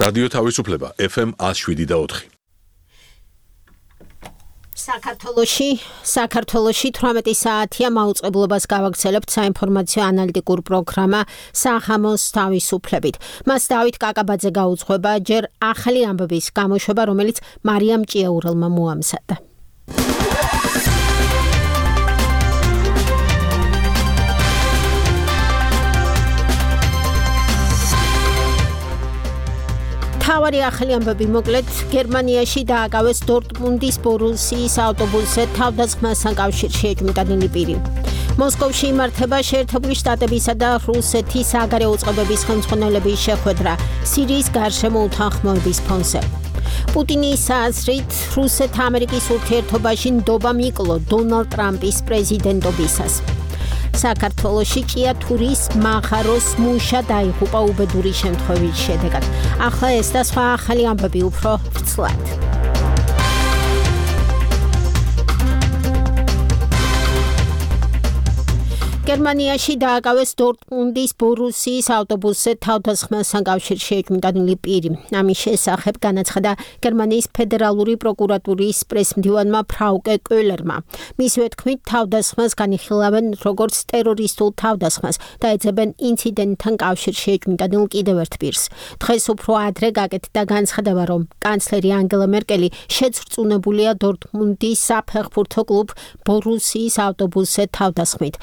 რადიო თავისუფლება FM 107.4. საქართველოში 18 საათია მაუწყებლობას გავაგრძელებთ საინფორმაციო ანალიტიკურ პროგრამა სახამოს თავისუფლებით. მას დავით კაკაბაძე გაუძღვება ჯერ ახალი ამბების გამოშვება, რომელიც მარიამ ჭიაურელმა მოამზადა. თავარი ახალი ამბები მოკლედ გერმანიაში დააკავეს დორტმუნდის ბორუსიის ავტობუსზე თავდასხმასთან კავშირში ეჭვმიტანილი პირი. მოსკოვში იმართება შეერთებული შტატებისა და რუსეთის საგარეო უწყებების ხელმძღვანელების შეხვედრა სირიის გარშემო უთანხმოების ფონზე. პუტინის აზრით რუსეთ-ამერიკის ურთიერთობაში ნდობა მიკლო დონალდ ტრამპის პრეზიდენტობისას. საქართველოში ჭიათურის მაღაროს მუშა დაიღუპა უბედური შემთხვევის შედეგად. ახლა ეს და სხვა ახალი ამბები უფრო ვრცლად. გერმანიაში დააკავეს დორტმუნდის ბორუსიის ავტობუსზე თავდასხმასთან კავშირში ეჭვმიტანილი პირი. ამის შესახებ განაცხადა გერმანიის ფედერალური პროკურატურის პრესმდივანმა ფრაუკე კოლერმა. მისივე თქმით, თავდასხმას განიხილავენ როგორც ტერორისტულ თავდასხმას და ეძებენ ინციდენტთან კავშირში ეჭვმიტანილ კიდევ ერთ პირს. დღეს უფრო ადრე გაკეთდა განცხადება, რომ კანცლერი ანგელა მერკელი შეძრწუნებულია დორტმუნდის საფეხბურთო კლუბ ბორუსიის ავტობუსზე თავდასხმით.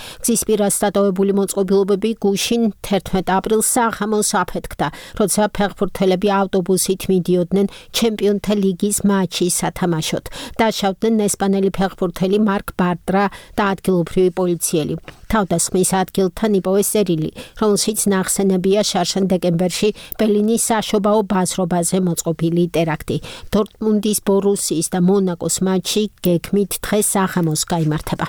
გზისპირას დატოვებული მოწყობილობები გუშინ 11 აპრილს სახამოს აფეთქდა, როცა ფეხბურთელები ავტობუსით მიდიოდნენ ჩემპიონთა ლიგის მატჩის სათამაშოდ. დაშავდნენ ესპანელი ფეხბურთელი მარკ ბარტრა და ადგილობრივი პოლიციელი. თავდასხმის ადგილთან იპოვეს წერილი, რომელშიც ნახსენებია შარშან დეკემბერში ბერლინის საშობაო ბაზრობაზე მოწყობილი ტერაქტი. დორტმუნდის ბორუსიის და მონაკოს მატჩი გეგმით დღეს სახამოს გაიმართება.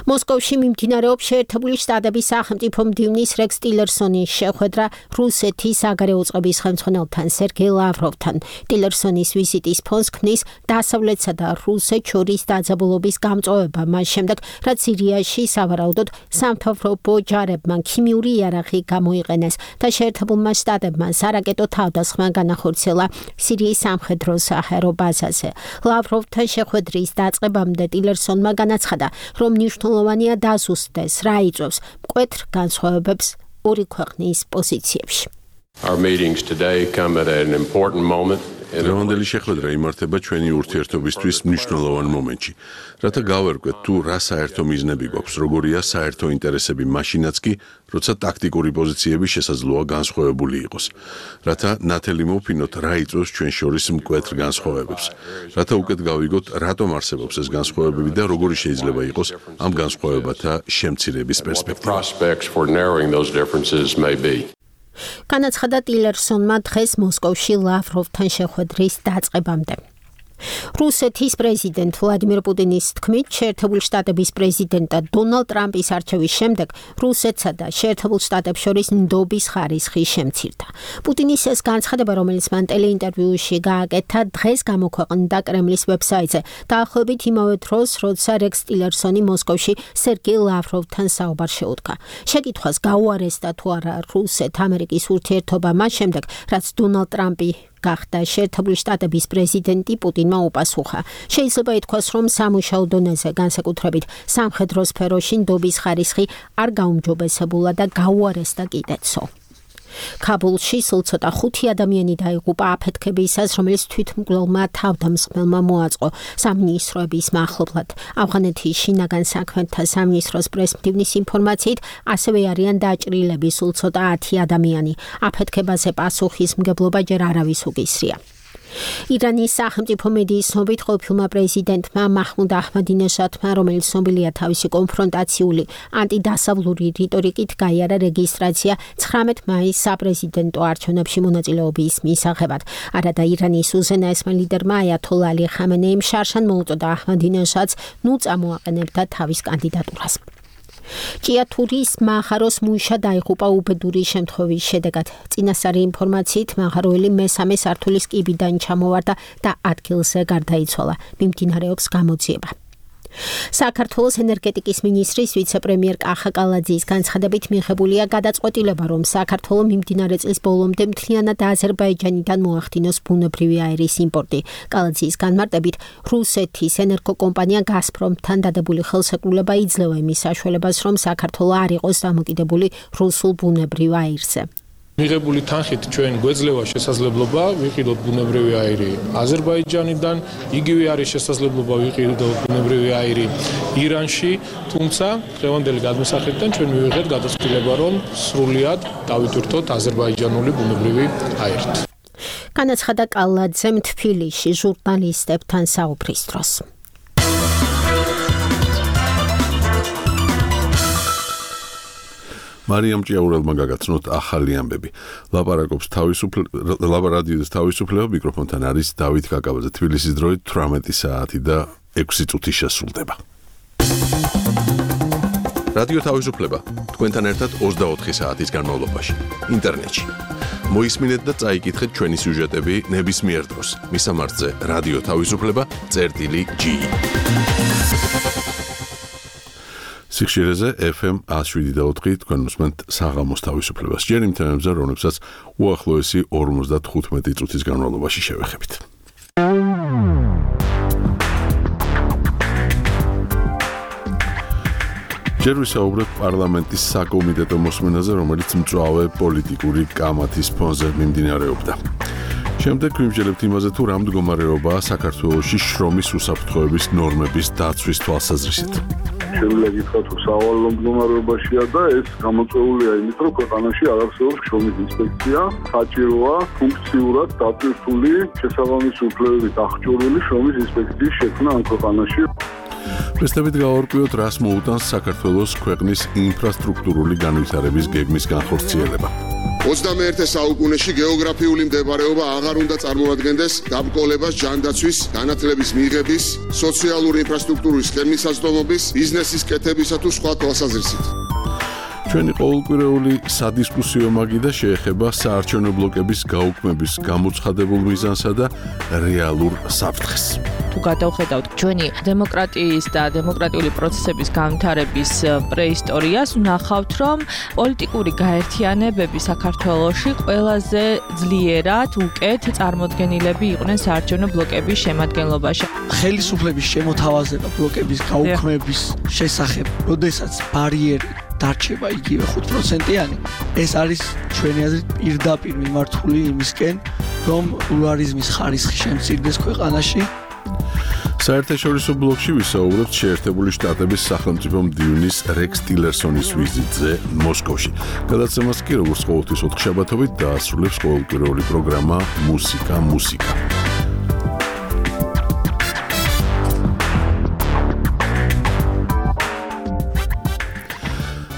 მოსკოვში მიმდინარეობს შეერთებული შტატების სახელმწიფო მდივნის რექს ტილერსონის შეხვედრა რუსეთის საგარეო უწყების ხელმძღვანელთან სერგეი ლავროვთან. ტილერსონის ვიზიტის ფონს ქმნის დასავლეთსა და რუსეთს შორის დაძაბულობის გამწვავება მას შემდეგ, რაც სირიაში სავარაუდოდ სამთავრობო ჯარებმა ქიმიური იარაღი გამოიყენეს და შეერთებულმა შტატებმა სარაკეტო თავდასხმა განახორციელა სირიის სამხედრო საჰაერო ბაზაზე. ლავროვთან შეხვედრის დაწყებამდე ტილერსონმა განაცხადა, რომ მნიშვნელოვანია დაზუსტდეს, რა იწვევს მკვეთრ განსხვავებებს ორი ქვეყნის პოზიციებში. Our meetings today come at an important moment. დღევანდელი შეხვედრა იმართება ჩვენი ურთიერთობისთვის მნიშვნელოვან მომენტში, რათა გავერკვეთ თუ რა საერთო მიზნები გვაქვს, როგორია საერთო ინტერესები მაშინაც კი, როცა ტაქტიკური პოზიციები შესაძლოა განსხვავებული იყოს, რათა ნათელი მოვფინოთ რა იწვევს ჩვენ შორის მკვეთრ განსხვავებებს, რათა უკეთ გავიგოთ რატომ არსებობს ეს განსხვავებები და როგორი შეიძლება იყოს ამ განსხვავებათა შემცირების პერსპექტივა. განაცხადა ტილერსონმა დღეს მოსკოვში ლავროვთან შეხვედრის დაწყებამდე. რუსეთის პრეზიდენტ ვლადიმირ პუტინის თქმით, შეერთებული შტატების პრეზიდენტად დონალდ ტრამპის არჩევის შემდეგ რუსეთსა და შეერთებულ შტატებს შორის ნდობის ხარისხი შემცირდა. პუტინის ეს განცხადება, რომელიც მან ტელეინტერვიუში გააკეთა, დღეს გამოქვეყნდა კრემლის ვებსაიტზე, დაახლოებით იმავე დროს, როცა რექს ტილერსონი მოსკოვში სერგეი ლავროვთან საუბარს შეუდგა. შეკითხვას გაუარესდა თუ არა რუსეთ-ამერიკის ურთიერთობა მას შემდეგ, რაც დონალდ ტრამპი გახდა შეერთებული შტატების პრეზიდენტი, პუტინმა უპასუხა. შეიძლება ითქვას, რომ სამუშაო დონეზე, განსაკუთრებით სამხედრო სფეროში ნდობის ხარისხი არ გაუმჯობესებულა და გაუარესდა კიდეცო. ქაბულში სულ ცოტა 5 ადამიანი დაიღუპა აფეთქებისას, რომელიც თვითმკვლელმა თავდამსხმელმა მოაწყო სამინისტროების მახლობლად. ავღანეთის შინაგან საქმეთა სამინისტროს პრესმდივნის ინფორმაციით, ასევე არიან დაჭრილები სულ ცოტა 10 ადამიანი. აფეთქებაზე პასუხისმგებლობა ჯერ არავის უგისრია. ირანის სახელმწიფო მედიის ცნობით, ყოფილმა პრეზიდენტმა მაჰმუდ აჰმადინეჟადმა, რომელიც ცნობილია თავისი კონფრონტაციული ანტიდასავლური რიტორიკით, გაიარა რეგისტრაცია 19 მაისს საპრეზიდენტო არჩევნებში მონაწილეობის მისაღებად. არადა ირანის უზენაესმა ლიდერმა აიათოლა ალი ხამენეიმ შარშან მოუწოდა აჰმადინეჟადს ნუ წამოაყენებდა თავის კანდიდატურას. ჭიათურის მაღაროს მუშა დაიღუპა უბედური შემთხვევის შედეგად. წინასწარი ინფორმაციით, მაღაროელი მესამე სართულის კიბიდან ჩამოვარდა და ადგილზე გარდაიცვალა. მიმდინარეობს გამოძიება. საქართველოს ენერგეტიკის მინისტრის ვიცე-პრემიერ კახა კალაძის განცხადებით მიღებულია გადაწყვეტილება, რომ საქართველოს მიმდინარე წლის ბოლომდე მთლიანად აზერბაიჯანიდან მოახდინოს ბუნებრივი აირის იმპორტი. კალაძის განმარტებით, რუსეთის ენერგოკომპანია გაზპრომთან დადებული ხელშეკრულება იძლევა იმის საშუალებას, რომ საქართველოს არ იყოს დამოკიდებული რუსულ ბუნებრივ აირზე. მიღებული თანხით ჩვენ გვეძლევა შესაძლებლობა ვიყიდოთ ბუნებრივი აირი აზერბაიჯანიდან, იგივე არის შესაძლებლობა ვიყიდოთ ბუნებრივი აირი ირანში, თუმცა დღევანდელი გადმოსახედიდან ჩვენ მივიღეთ გადაწყვეტილება, რომ სრულად დავიტვირთოთ აზერბაიჯანული ბუნებრივი აირით. განაცხადა კალაძემ თბილისში ჟურნალისტებთან საუბრის დროს. მარიამ ჭიაურელმა გაგაცნოთ ახალი ამბები. ლაპარაკობს ლაპარადიოს თავისუფლება, მიკროფონთან არის დავით კაკაბაძე. თბილისის დროით 18 საათი და 6 წუთი შესრულდება. რადიო თავისუფლება თქვენთან ერთად 24 საათის განმავლობაში ინტერნეტში. მოისმინეთ და წაიკითხეთ ჩვენი სიუჟეტები ნებისმიერ დროს. მისამართზე რადიო თავისუფლება.gi. სიხშირეზე FM 107.4 თქვენ უსმენთ საღამოს თავისუფლებას. ჯერ იმ თემებზე, რომლებსაც უახლოესი 55 წუთის განმავლობაში შევეხებით. ჯერ ვისაუბრებ პარლამენტის საკომიტეტო მოსმენაზე, რომელიც მწვავე პოლიტიკური კამათის ფონზე მიმდინარეობდა. შემდეგ ვიმსჯელებთ იმაზე, თუ რა მდგომარეობაა საქართველოში შრომის უსაფრთხოების ნორმების დაცვის თვალსაზრისით. შეიძლება გითხრათ, რომ სავალალო მდგომარეობაშია და ეს გამოწვეულია იმით, რომ ქვეყანაში არ არსებობს შრომის ინსპექცია, საჭიროა ფუნქციურად დატვირთული შესაბამისი უფლებებით აღჭურვილი შრომის ინსპექციის შექმნა ამ ქვეყანაში. პრესტებით გავარკვიოთ, რას მოუტანს საქართველოს ქვეყნის ინფრასტრუქტურული განვითარების გეგმის განხორციელება. 21 საუკუნეში გეოგრაფიული მდებარეობა აღარ უნდა წარმოადგენდეს დაბრკოლებას ჯანდაცვის, განათლების მიღების, სოციალური ინფრასტრუქტურის ხელმისაწვდომობის, ბიზნესის კეთებისა თუ სხვა თვალსაზრისით. ჩვენი ყოველკვირეული სადისკუსიო მაგიდა შეეხება საარჩევნო ბლოკების გაუქმების გამოცხადებულ მიზანსა და რეალურ საფრთხეს. თუ გადავხედავთ ჩვენი დემოკრატიის და დემოკრატიული პროცესების განვითარების პრეისტორიას, ვნახავთ, რომ პოლიტიკური გაერთიანებები საქართველოში ყველაზე ძლიერად უკეთ წარმოდგენილები იყვნენ საარჩევნო ბლოკების შემადგენლობაში. ხელისუფლების შემოთავაზება ბლოკების გაუქმების შესახებ, როდესაც ბარიერი დარჩება იგივე 5%-იანი, ეს არის ჩვენი აზრით პირდაპირ მიმართული იმისკენ, რომ პლურალიზმის ხარისხი შემცირდეს ქვეყანაში. საერთაშორისო ბლოკში ვისაუბრებთ შეერთებული შტატების სახელმწიფო მდივნის რექს ტილერსონის ვიზიტზე მოსკოვში. გადაცემას კი როგორც ყოველთვის ოთხშაბათობით დაასრულებს ყოველკვირეული პროგრამა მუსიკა.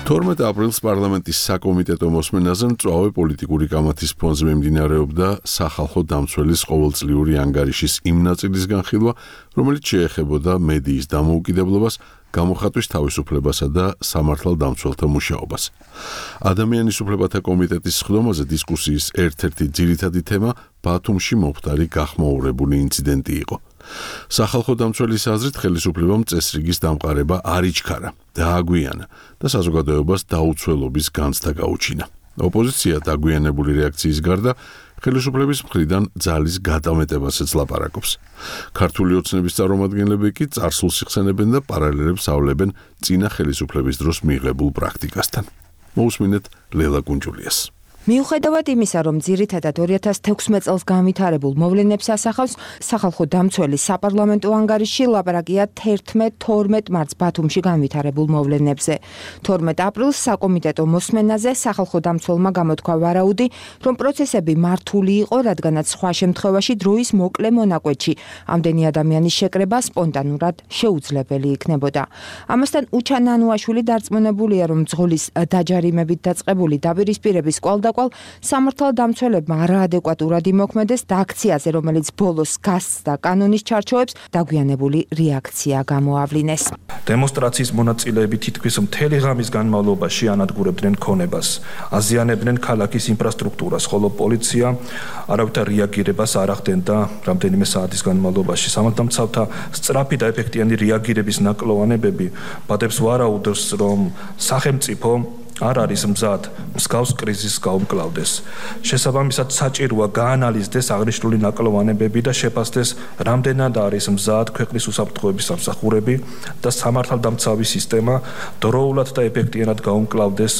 12 აპრილს პარლამენტის საკომიტეტო მოსმენაზე მწვავე პოლიტიკური კამათის ფონზე მიმდინარეობდა სახალხო დამცველის ყოველწლიური ანგარიშის იმ ნაწილის განხილვა, რომელიც შეეხებოდა მედიის დამოუკიდებლობას, გამოხატვის თავისუფლებასა და სამართალდამცველთა მუშაობას. ადამიანის უფლებათა კომიტეტის სხდომაზე დისკუსიის ერთ-ერთი ძირითადი თემა ბათუმში მომხდარი გახმაურებული ინციდენტი იყო. სახალხო დამცველის აზრით ხელისუფლებამ წესრიგის დამყარება არ იჩქარა, დააგვიანა და საზოგადოებას დაუცველობის განცდა გაუჩინა. ოპოზიცია დაგვიანებული რეაქციის გარდა ხელისუფლების მხრიდან ძალის გადამეტებასაც ლაპარაკობს. ქართული ოცნების წარმომადგენლები კი წარსულს იხსენებენ და პარალელებს ავლებენ წინა ხელისუფლების დროს მიღებულ პრაქტიკასთან. მოусმინეთ ლელა კუნჯულიას. მიუხედავად იმისა, რომ ძირითადად 2016 წელს განვითარებულ მოვლენებს ასახავს, სახალხო დამცველის საპარლამენტო ანგარიში ლაპარაკია 11-12 მარტს ბათუმში განვითარებულ მოვლენებზე. 12 აპრილს საკომიტეტო მოსმენაზე სახალხო დამცველმა გამოთქვა ვარაუდი, რომ პროცესები მართული იყო, რადგანაც სხვა შემთხვევაში დროის მოკლე მონაკვეთში ამდენი ადამიანის შეკრება სპონტანურად შეუძლებელი იქნებოდა. ამასთან უჩა ნანუაშვილი დარწმუნებულია, რომ ძღოლის დაჯარიმებით დაწყებული დაპირისპირების კვალდაკვალ გამოსაკვალ სამართალდამცველებმა არაადეკვატურად იმოქმედეს და აქციაზე, რომელიც ბოლოს გასცდა კანონის ჩარჩოებს, დაგვიანებული რეაქცია გამოავლინეს. დემონსტრაციის მონაწილეები თითქმის მთელი ღამის განმავლობაში ანადგურებდნენ ქონებას, აზიანებდნენ ქალაქის ინფრასტრუქტურას, ხოლო პოლიცია არავითარ რეაგირებას არ ახდენდა რამდენიმე საათის განმავლობაში. სამართალდამცავთა სწრაფი და ეფექტიანი რეაგირების ნაკლოვანებები ბადებს ვარაუდებს, რომ სახელმწიფო არ არის მზად მსგავს კრიზისს გაუმკლავდეს. შესაბამისად, საჭიროა გაანალიზდეს აღნიშნული ნაკლოვანებები და შეფასდეს, რამდენად არის მზად ქვეყნის უსაფრთხოების სამსახურები და სამართალდამცავი სისტემა დროულად და ეფექტიანად გაუმკლავდეს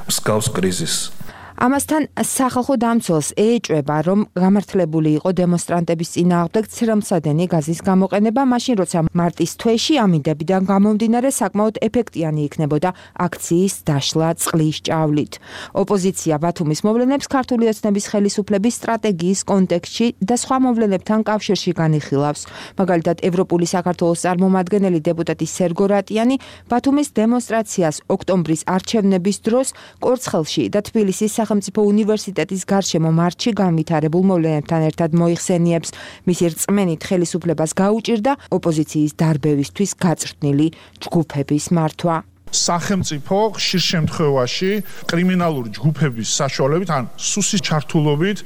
მსგავს კრიზისს. ამასთან სახალხო დამცველს ეეჭვება, რომ გამართლებული იყო დემონსტრანტების წინააღმდეგ ცრემლსადენი გაზის გამოყენება, მაშინ როცა მარტის თვეში ამინდებიდან გამომდინარე საკმაოდ ეფექტიანი იქნებოდა აქციის დაშლა წყლის ჭავლით. ოპოზიცია ბათუმის მოვლენებს ქართული ოცნების ხელისუფლების სტრატეგიის კონტექსტში და სხვა მოვლენებთან კავშირში განიხილავს. მაგალითად, ევროპული საქართველოს წარმომადგენელი დეპუტატი სერგო რატიანი ბათუმის დემონსტრაციას ოქტომბრის არჩევნების დროს კორცხელში და თბილისის სახელმწიფო უნივერსიტეტის გარშემო მარტში განვითარებულ მოვლენებთან ერთად მოიხსენიებს. მისი რწმენით ხელისუფლებას გაუჭირდა ოპოზიციის დარბევისთვის გაწვრთნილი ჯგუფების მართვა. სახელმწიფო ხშირ შემთხვევაში კრიმინალური ჯგუფების საშუალებით ან სუსის ჩართულობით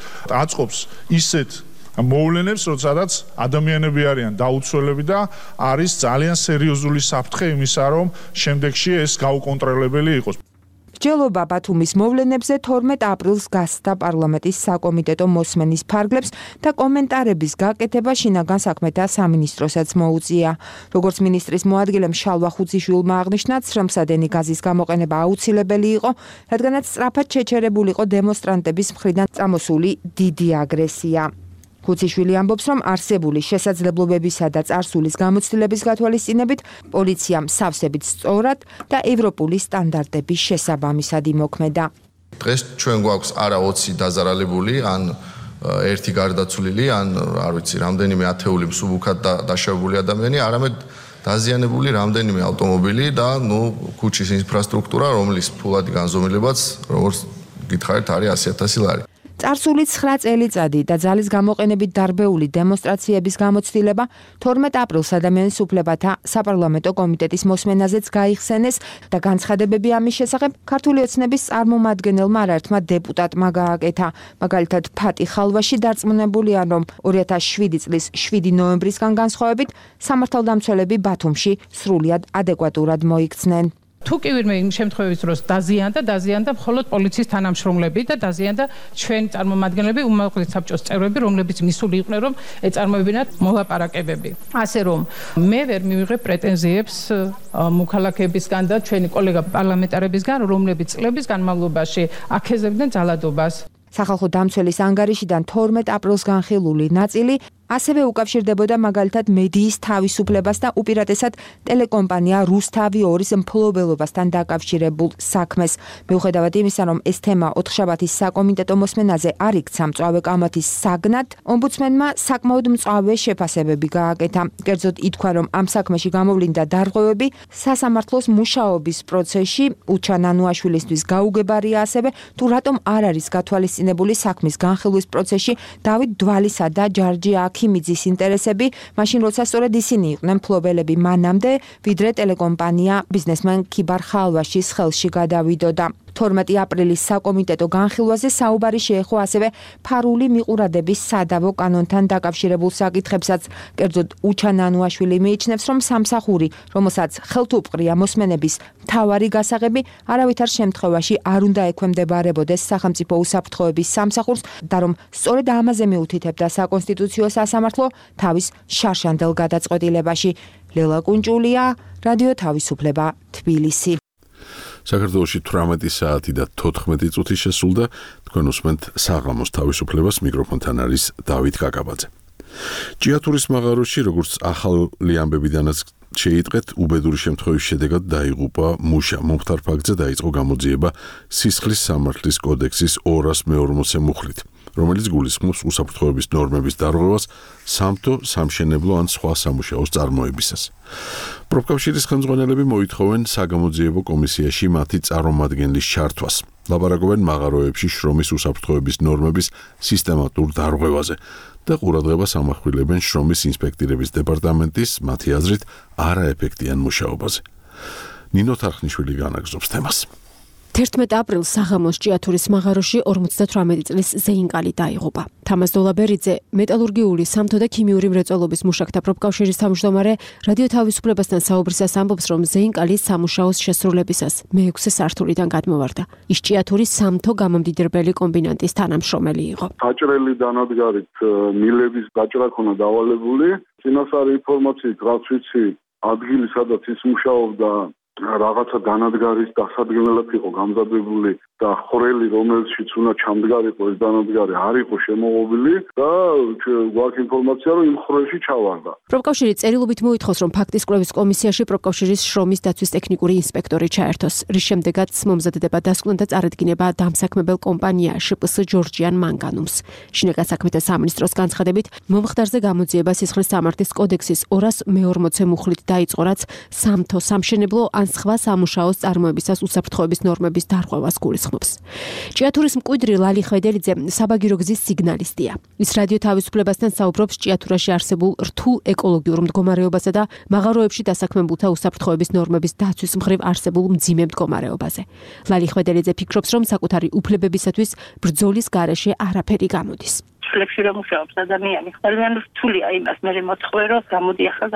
აწყობს ისეთ მოვლენებს, როდესაც ადამიანები არიან დაუცველები და არის ძალიან სერიოზული საფრთხე იმისა, რომ შემდეგში ეს გაუკონტროლებელი იყოს. მსჯელობა ბათუმის მოვლენებზე 12 აპრილს გასცდა პარლამენტის საკომიტეტო მოსმენის ფარგლებს და კომენტარების გაკეთება შინაგან საქმეთა სამინისტროსაც მოუწია. როგორც მინისტრის მოადგილემ შალვა ხუციშვილმა აღნიშნა, ცრემლსადენი გაზის გამოყენება აუცილებელი იყო, რადგანაც სწრაფად შეჩერებულ იყო დემონსტრანტების მხრიდან წამოსული დიდი აგრესია. ხუციშვილი ამბობს, რომ არსებული შესაძლებლობებისა და წარსულის გამოცდილების გათვალისწინებით პოლიციამ სავსებით სწორად და ევროპული სტანდარტების შესაბამისად იმოქმედა. დღეს ჩვენ გვაქვს არა 20 დაზარალებული, ან ერთი გარდაცვლილი, ან არ ვიცი, რამდენიმე ათეული მსუბუქად დაშავებული ადამიანი, არამედ დაზიანებული რამდენიმე ავტომობილი და ქუჩის ინფრასტრუქტურა, რომლის ფულადი განზომილებაც, როგორც გითხარით, არის 100,000 ლარი. წარსული 9 წელიწადი და ძალის გამოყენებით დარბეული დემონსტრაციების გამოცდილება 12 აპრილს ადამიანის უფლებათა საპარლამენტო კომიტეტის მოსმენაზეც გაიხსენეს და განცხადებები ამის შესახებ ქართული ოცნების წარმომადგენელმა არაერთმა დეპუტატმა გააკეთა. მაგალითად, ფატი ხალვაში დარწმუნებულია, რომ 2007 წლის 7 ნოემბრისგან განსხვავებით სამართალდამცველები ბათუმში სრულიად ადეკვატურად მოიქცნენ. თუ კი ვინმე იმ შემთხვევების დროს დაზიანდა მხოლოდ პოლიციის თანამშრომლები და დაზიანდა ჩვენი წარმომადგენლები, უმაღლესი საბჭოს წევრები, რომლებიც მისული იყვნენ, რომ ეწარმოებინათ მოლაპარაკებები. ასე რომ მე ვერ მივიღებ პრეტენზიებს მოქალაქეებისგან და ჩვენი კოლეგა პარლამენტარებისგან, რომლებიც წლების განმავლობაში აქეზებდნენ ძალადობას. სახალხო დამცველის ანგარიშიდან 12 აპრილს განხილული ნაწილი ასევე უკავშირდებოდა მაგალითად მედიის თავისუფლებას და უპირატესად ტელეკომპანია რუსთავი 2-ის მფლობელობასთან დაკავშირებულ საქმეს. მიუხედავად იმისა, რომ ეს თემა ოთხშაბათის საკომიტეტო მოსმენაზე არ იქცა მწვავე კამათის საგნად, ომბუდსმენმა საკმაოდ მწვავე შეფასებები გააკეთა. კერძოდ ითქვა, რომ ამ საქმეში გამოვლინდა დარღვევები სასამართლოს მუშაობის პროცესში, უჩან ანუაშვილისთვის გაუგებარია ასევე თუ რატომ არ არის გათვალისწინებული საქმის განხილვის პროცესში დავით დვალისა და ჯარჯი ქიმიძის ინტერესები, მაშინ როცა სწორედ ისინი იყვნენ მფლობელები მანამდე, ვიდრე ტელეკომპანია ბიზნესმენ ქიბარ ხალვაშის ხელში გადავიდოდა. 12 აპრილის საკომიტეტო განხილვაზე საუბარი შეეხო ასევე ფარული მიყურადების სადავო კანონთან დაკავშირებულ საკითხებსაც. კერძოდ, უჩან ანუაშვილი მიიჩნევს, რომ სამსახური, რომელსაც ხელთუპყრია მოსმენების მთავარი გასაღები, არავითარ შემთხვევაში არ უნდა ექვემდებარებოდეს სახელმწიფო უსაფრთხოების სამსახურს და რომ სწორედ ამაზე მიუთითებდა საკონსტიტუციო სასამართლო თავის შარშანდელ გადაწყვეტილებაში. ლელა კუნჭულია, რადიო თავისუფლება, თბილისი. საქართველოში 18 საათი და 14 წუთი შესულდა. თქვენ უსმენთ საღამოს თავისუფლებას, მიკროფონთან არის დავით კაკაბაძე. ჭიათურის მაღაროში, როგორც ახალი ამბებიდანაც შეიტყეთ, უბედური შემთხვევის შედეგად დაიღუპა მუშა. მომხდარ ფაქტზე დაიწყო გამოძიება სისხლის სამართლის კოდექსის 240 მუხლით. რომელიც გულისხმობს უსაფრთხოების ნორმების დარღვევას სამთო, სამშენებლო ან სხვა სამუშაოს წარმოებისას. პროფკავშირის ხელმძღვანელები მოითხოვენ საგამოძიებო კომისიაში მათი წარმომადგენლის ჩართვას. ლაპარაკობენ მაღაროებში შრომის უსაფრთხოების ნორმების სისტემატურ დარღვევაზე და ყურადღებას ამახვილებენ შრომის ინსპექტირების დეპარტამენტის მათი აზრით არაეფექტიან მუშაობაზე. ნინო თარხნიშვილი განაგზობს თემას. 11 აპრილს საღამოს ჭიათურის მაღაროში 58 წლის ზეინკალი დაიღუპა. თამაზ დოლაბერიძე, მეტალურგიული, სამთო და ქიმიური მრეწველობის მუშაკთა პროფკავშირის თავმჯდომარე, რადიო თავისუფლებასთან საუბრისას ამბობს, რომ ზეინკალი სამუშაოს შესრულებისას მე-6 სართულიდან გადმოვარდა. ის ჭიათურის სამთო გამომდიდრებელი კომბინატის თანამშრომელი იყო. საჭრელი დანადგარით მილების გაჭრა ქონა დავალებული. წინასწარი ინფორმაციით, რაც ვიცი, ადგილი სადაც ის მუშაობდა რაღაცა დანადგარის დასადგენელად იყო გამზადებული და ხვრელი, რომელშიც უნდა ჩამდგარიყო ეს დანადგარი, არ იყო შემოღობილი და გვაქვს ინფორმაცია, რომ იმ ხვრელში ჩავარდა. პროფკავშირი წერილობით მოითხოვს, რომ ფაქტის კვლევის კომისიაში პროფკავშირის შრომის დაცვის ტექნიკური ინსპექტორი ჩაერთოს, რის შემდეგაც მომზადდება დასკვნა და წარადგინება დამსაქმებელ კომპანია შპს ჯორჯიან მანგანუმს. შინაგან საქმეთა სამინისტროს განცხადებით, მომხდარზე გამოძიება სისხლის სამართლის კოდექსის 240 მუხლით დაიწყო, რაც სამთო, სამშენებლო ან სხვა სამუშაოს წარმოებისას უსაფრთხოების ნორმების დარღვევას გულისხმობს. ჭიათურის მკვიდრი ლალი ხვედელიძე საბაგირო გზის სიგნალისტია. ის რადიო თავისუფლებასთან საუბრობს ჭიათურაში არსებულ რთულ ეკოლოგიურ მდგომარეობასა და მაღაროებში დასაქმებულთა უსაფრთხოების ნორმების დაცვის მხრივ არსებულ მძიმე მდგომარეობაზე. ლალი ხვედელიძე ფიქრობს, რომ საკუთარი უფლებებისათვის ბრძოლის გარეშე არაფერი გამოდის. ფლექსი რომ მუშაობს ადამიანი, ძალიან რთულია იმას მე მოთხოვე, რომ გამოდი ახლა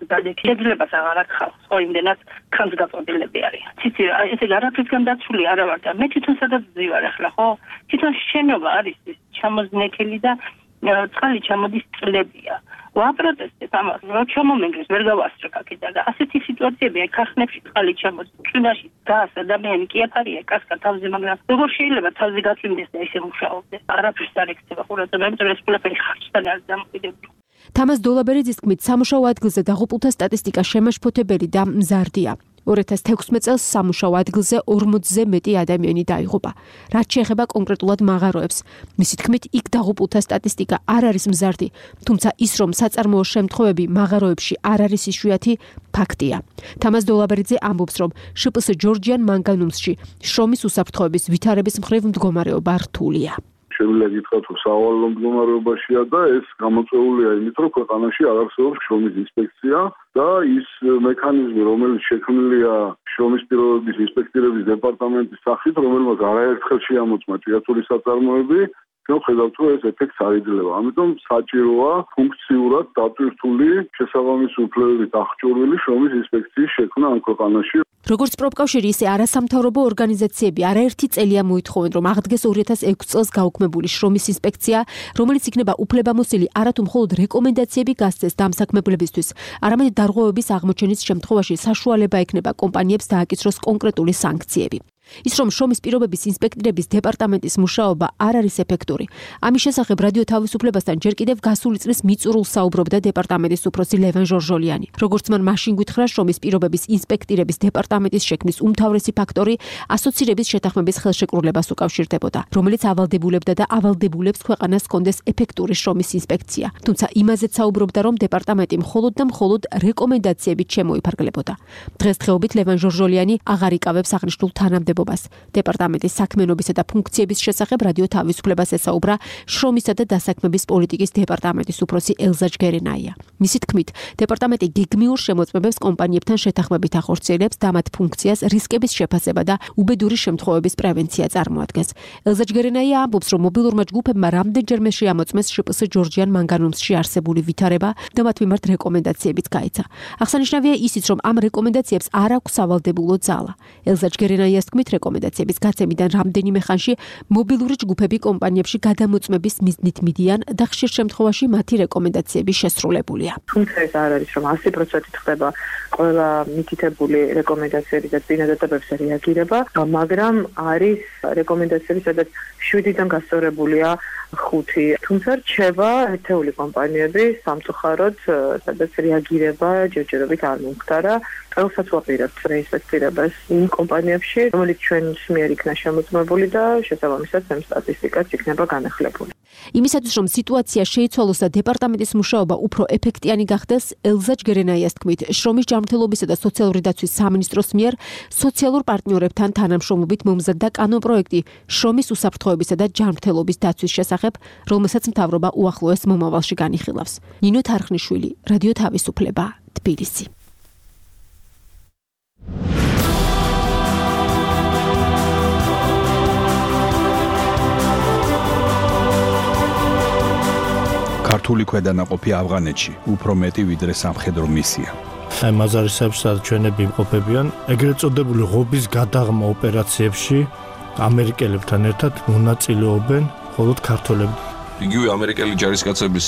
გადადექი. შეძლებას აღარ აქვს, ხო იმდენად ხანძგაწოდილები არიან. ციცი რა, ესე არაფრისგან დაცული არა ვარ და მე თვითონ სადაც ვზივარ ახლა, ხო? თვითონ შენობა არის ის ჩამოზნექილი და წყალი ჩამოდის წლებია. ვაპროტესტებ ამას, რომ ჩამომენგრეს ვერ გავასწრებ აქედან და ასეთი სიტუაციები აი ქარხნებში წყალი ჩამოდის. წვიმაში გას ადამიანი კი აფარია კასკა თავზე, მაგრამ როგორ შეიძლება თავზე გაწვიმდეს და ესე მუშაობდეს? არაფერს არ ექცევა ყურადღება, იმიტომ რომ ეს ყველაფერი ხარჯთან არის დამოკიდებული. თამაზ დოლაბერიძის თქმით, სამუშაო ადგილზე დაღუპულთა სტატისტიკა შემაშფოთებელი და მზარდია. 2016 წელს სამუშაო ადგილზე 40-ზე მეტი ადამიანი დაიღუპა. რაც შეეხება კონკრეტულად მაღაროებს, მისი თქმით, იქ დაღუპულთა სტატისტიკა არ არის მზარდი, თუმცა ის, რომ საწარმოო შემთხვევები მაღაროებში არ არის იშვიათი, ფაქტია. თამაზ დოლაბერიძე ამბობს, რომ შპს ჯორჯიან მანგანუმსში შრომის უსაფრთხოების ვითარების მხრივ მდგომარეობა რთულია. შემიძლია გითხრათ, რომ სავალალო მდგომარეობაშია და ეს გამოწვეულია იმით, რომ ქვეყანაში არ არსებობს შრომის ინსპექცია და ის მექანიზმი, რომელიც შექმნილია შრომის პირობების ინსპექტირების დეპარტამენტის სახით, რომელმაც არაერთხელ შეამოწმა ჭიათურის საწარმოები, ხედავთ, რომ ეს ეფექტს არ იძლევა. ამიტომ საჭიროა ფუნქციურად დატვირთული შესაბამისი უფლებებით აღჭურვილი შრომის ინსპექციის შექმნა ამ ქვეყანაში. როგორც პროფკავშირი, ისე არასამთავრობო ორგანიზაციები არაერთი წელია მოითხოვენ, რომ აღდგეს 2006 წელს გაუქმებული შრომის ინსპექცია, რომელიც იქნება უფლებამოსილი არათუ მხოლოდ რეკომენდაციები გასცეს დამსაქმებლებისთვის, არამედ დარღვევების აღმოჩენის შემთხვევაში საშუალება ექნება კომპანიებს დააკისროს კონკრეტული სანქციები. ის რომ შრომის პირობების ინსპექტირების დეპარტამენტის მუშაობა არ არის ეფექტური. ამის შესახებ რადიო თავისუფლებასთან ჯერ კიდევ გასული წლის მიწურულს საუბრობდა დეპარტამენტის უფროსი ლევან ჟორჟოლიანი. როგორც მან მაშინ გითხრა, შრომის პირობების ინსპექტირების დეპარტამენტის შექმნის უმთავრესი ფაქტორი ასოცირების შეთანხმების ხელშეკრულებას უკავშირდებოდა, რომელიც ავალდებულებდა და ავალდებულებს ქვეყანას ჰქონდეს ეფექტური შრომის ინსპექცია. თუმცა იმაზეც საუბრობდა, რომ დეპარტამენტი მხოლოდ და მხოლოდ რეკომენდაციებით შემოიფარგლებოდა. დღესდღეობით ლევან ჟორჟოლიანი აღარ იკავებს აღნიშნულ თანამდებობას. დეპარტამენტის საქმიანობისა და ფუნქციების შესახებ რადიო თავისუფლებას ესაუბრა შრომისა და დასაქმების პოლიტიკის დეპარტამენტის უფროსი ელზა ჯგერენაია. მისი თქმით, დეპარტამენტი გეგმიურ შემოწმებებს კომპანიებთან შეთანხმებით ახორციელებს და მათ ფუნქციას რისკების შეფასება და უბედური შემთხვევების პრევენცია წარმოადგენს. ელზა ჯგერენაია ამბობს, რომ მობილურმა ჯგუფებმა რამდენჯერმე შეამოწმეს შპს ჯორჯიან მანგანუმსში არსებული ვითარება და მათ მიმართ რეკომენდაციებიც გაეცა. აღსანიშნავია ისიც, რომ ამ რეკომენდაციებს არ აქვს სავალდებულო ძალა. ელზა ჯგერენაიას თქმით, რეკომენდაციების გაცემიდან რამდენიმე ხანში მობილური ჯგუფები კომპანიებში გადამოწმების მიზნით მიდიან და ხშირ შემთხვევაში მათი რეკომენდაციები შესრულებულია. თუმცა ეს არ არის, რომ 100% ხდება ყველა მითითებული რეკომენდაციები და წინადადებებს რეაგირება, მაგრამ არის რეკომენდაციები, სადაც 7-დან გასწორებულია 5. თუმცა რჩება ერთეული კომპანიები სამწუხაროდ, სადაც რეაგირება ჯერჯერობით არ მომხდარა. ყველსაც ვაპირებთ რეინსპექტირებას იმ კომპანიებში, რომელიც ჩვენს მიერ იქნა შემოწმებული და შესაბამისად ამ სტატისტიკაც იქნება განახლებული. იმისათვის რომ სიტუაცია შეიცვალოს და დეპარტამენტის მუშაობა უფრო ეფექტიანი გახდეს, ელზა ჯგერენაიას თქმით, შრომის ჯანმრთელობისა და სოციალური დაცვის სამინისტროს მიერ სოციალურ პარტნიორებთან თანამშრომლობით მომზადდა კანონპროექტი შრომის უსაფრთხოებისა და ჯანმრთელობის დაცვის შესახებ, რომელსაც მთავრობა უახლოეს მომავალში განიხილავს. ნინო თარხნიშვილი, რადიო თავისუფლება, თბილისი. ქართული ქვედანაყოფი ავღანეთში უფრო მეტი ვიდრე სამხედრო მისია. აი მაზარისებში სადაც ჩვენები იმყოფებიან, ეგრეთ წოდებული ღობის გადაღმა ოპერაციებში ამერიკელებთან ერთად მონაწილეობენ მხოლოდ ქართველები. იგივე ამერიკელი ჯარისკაცების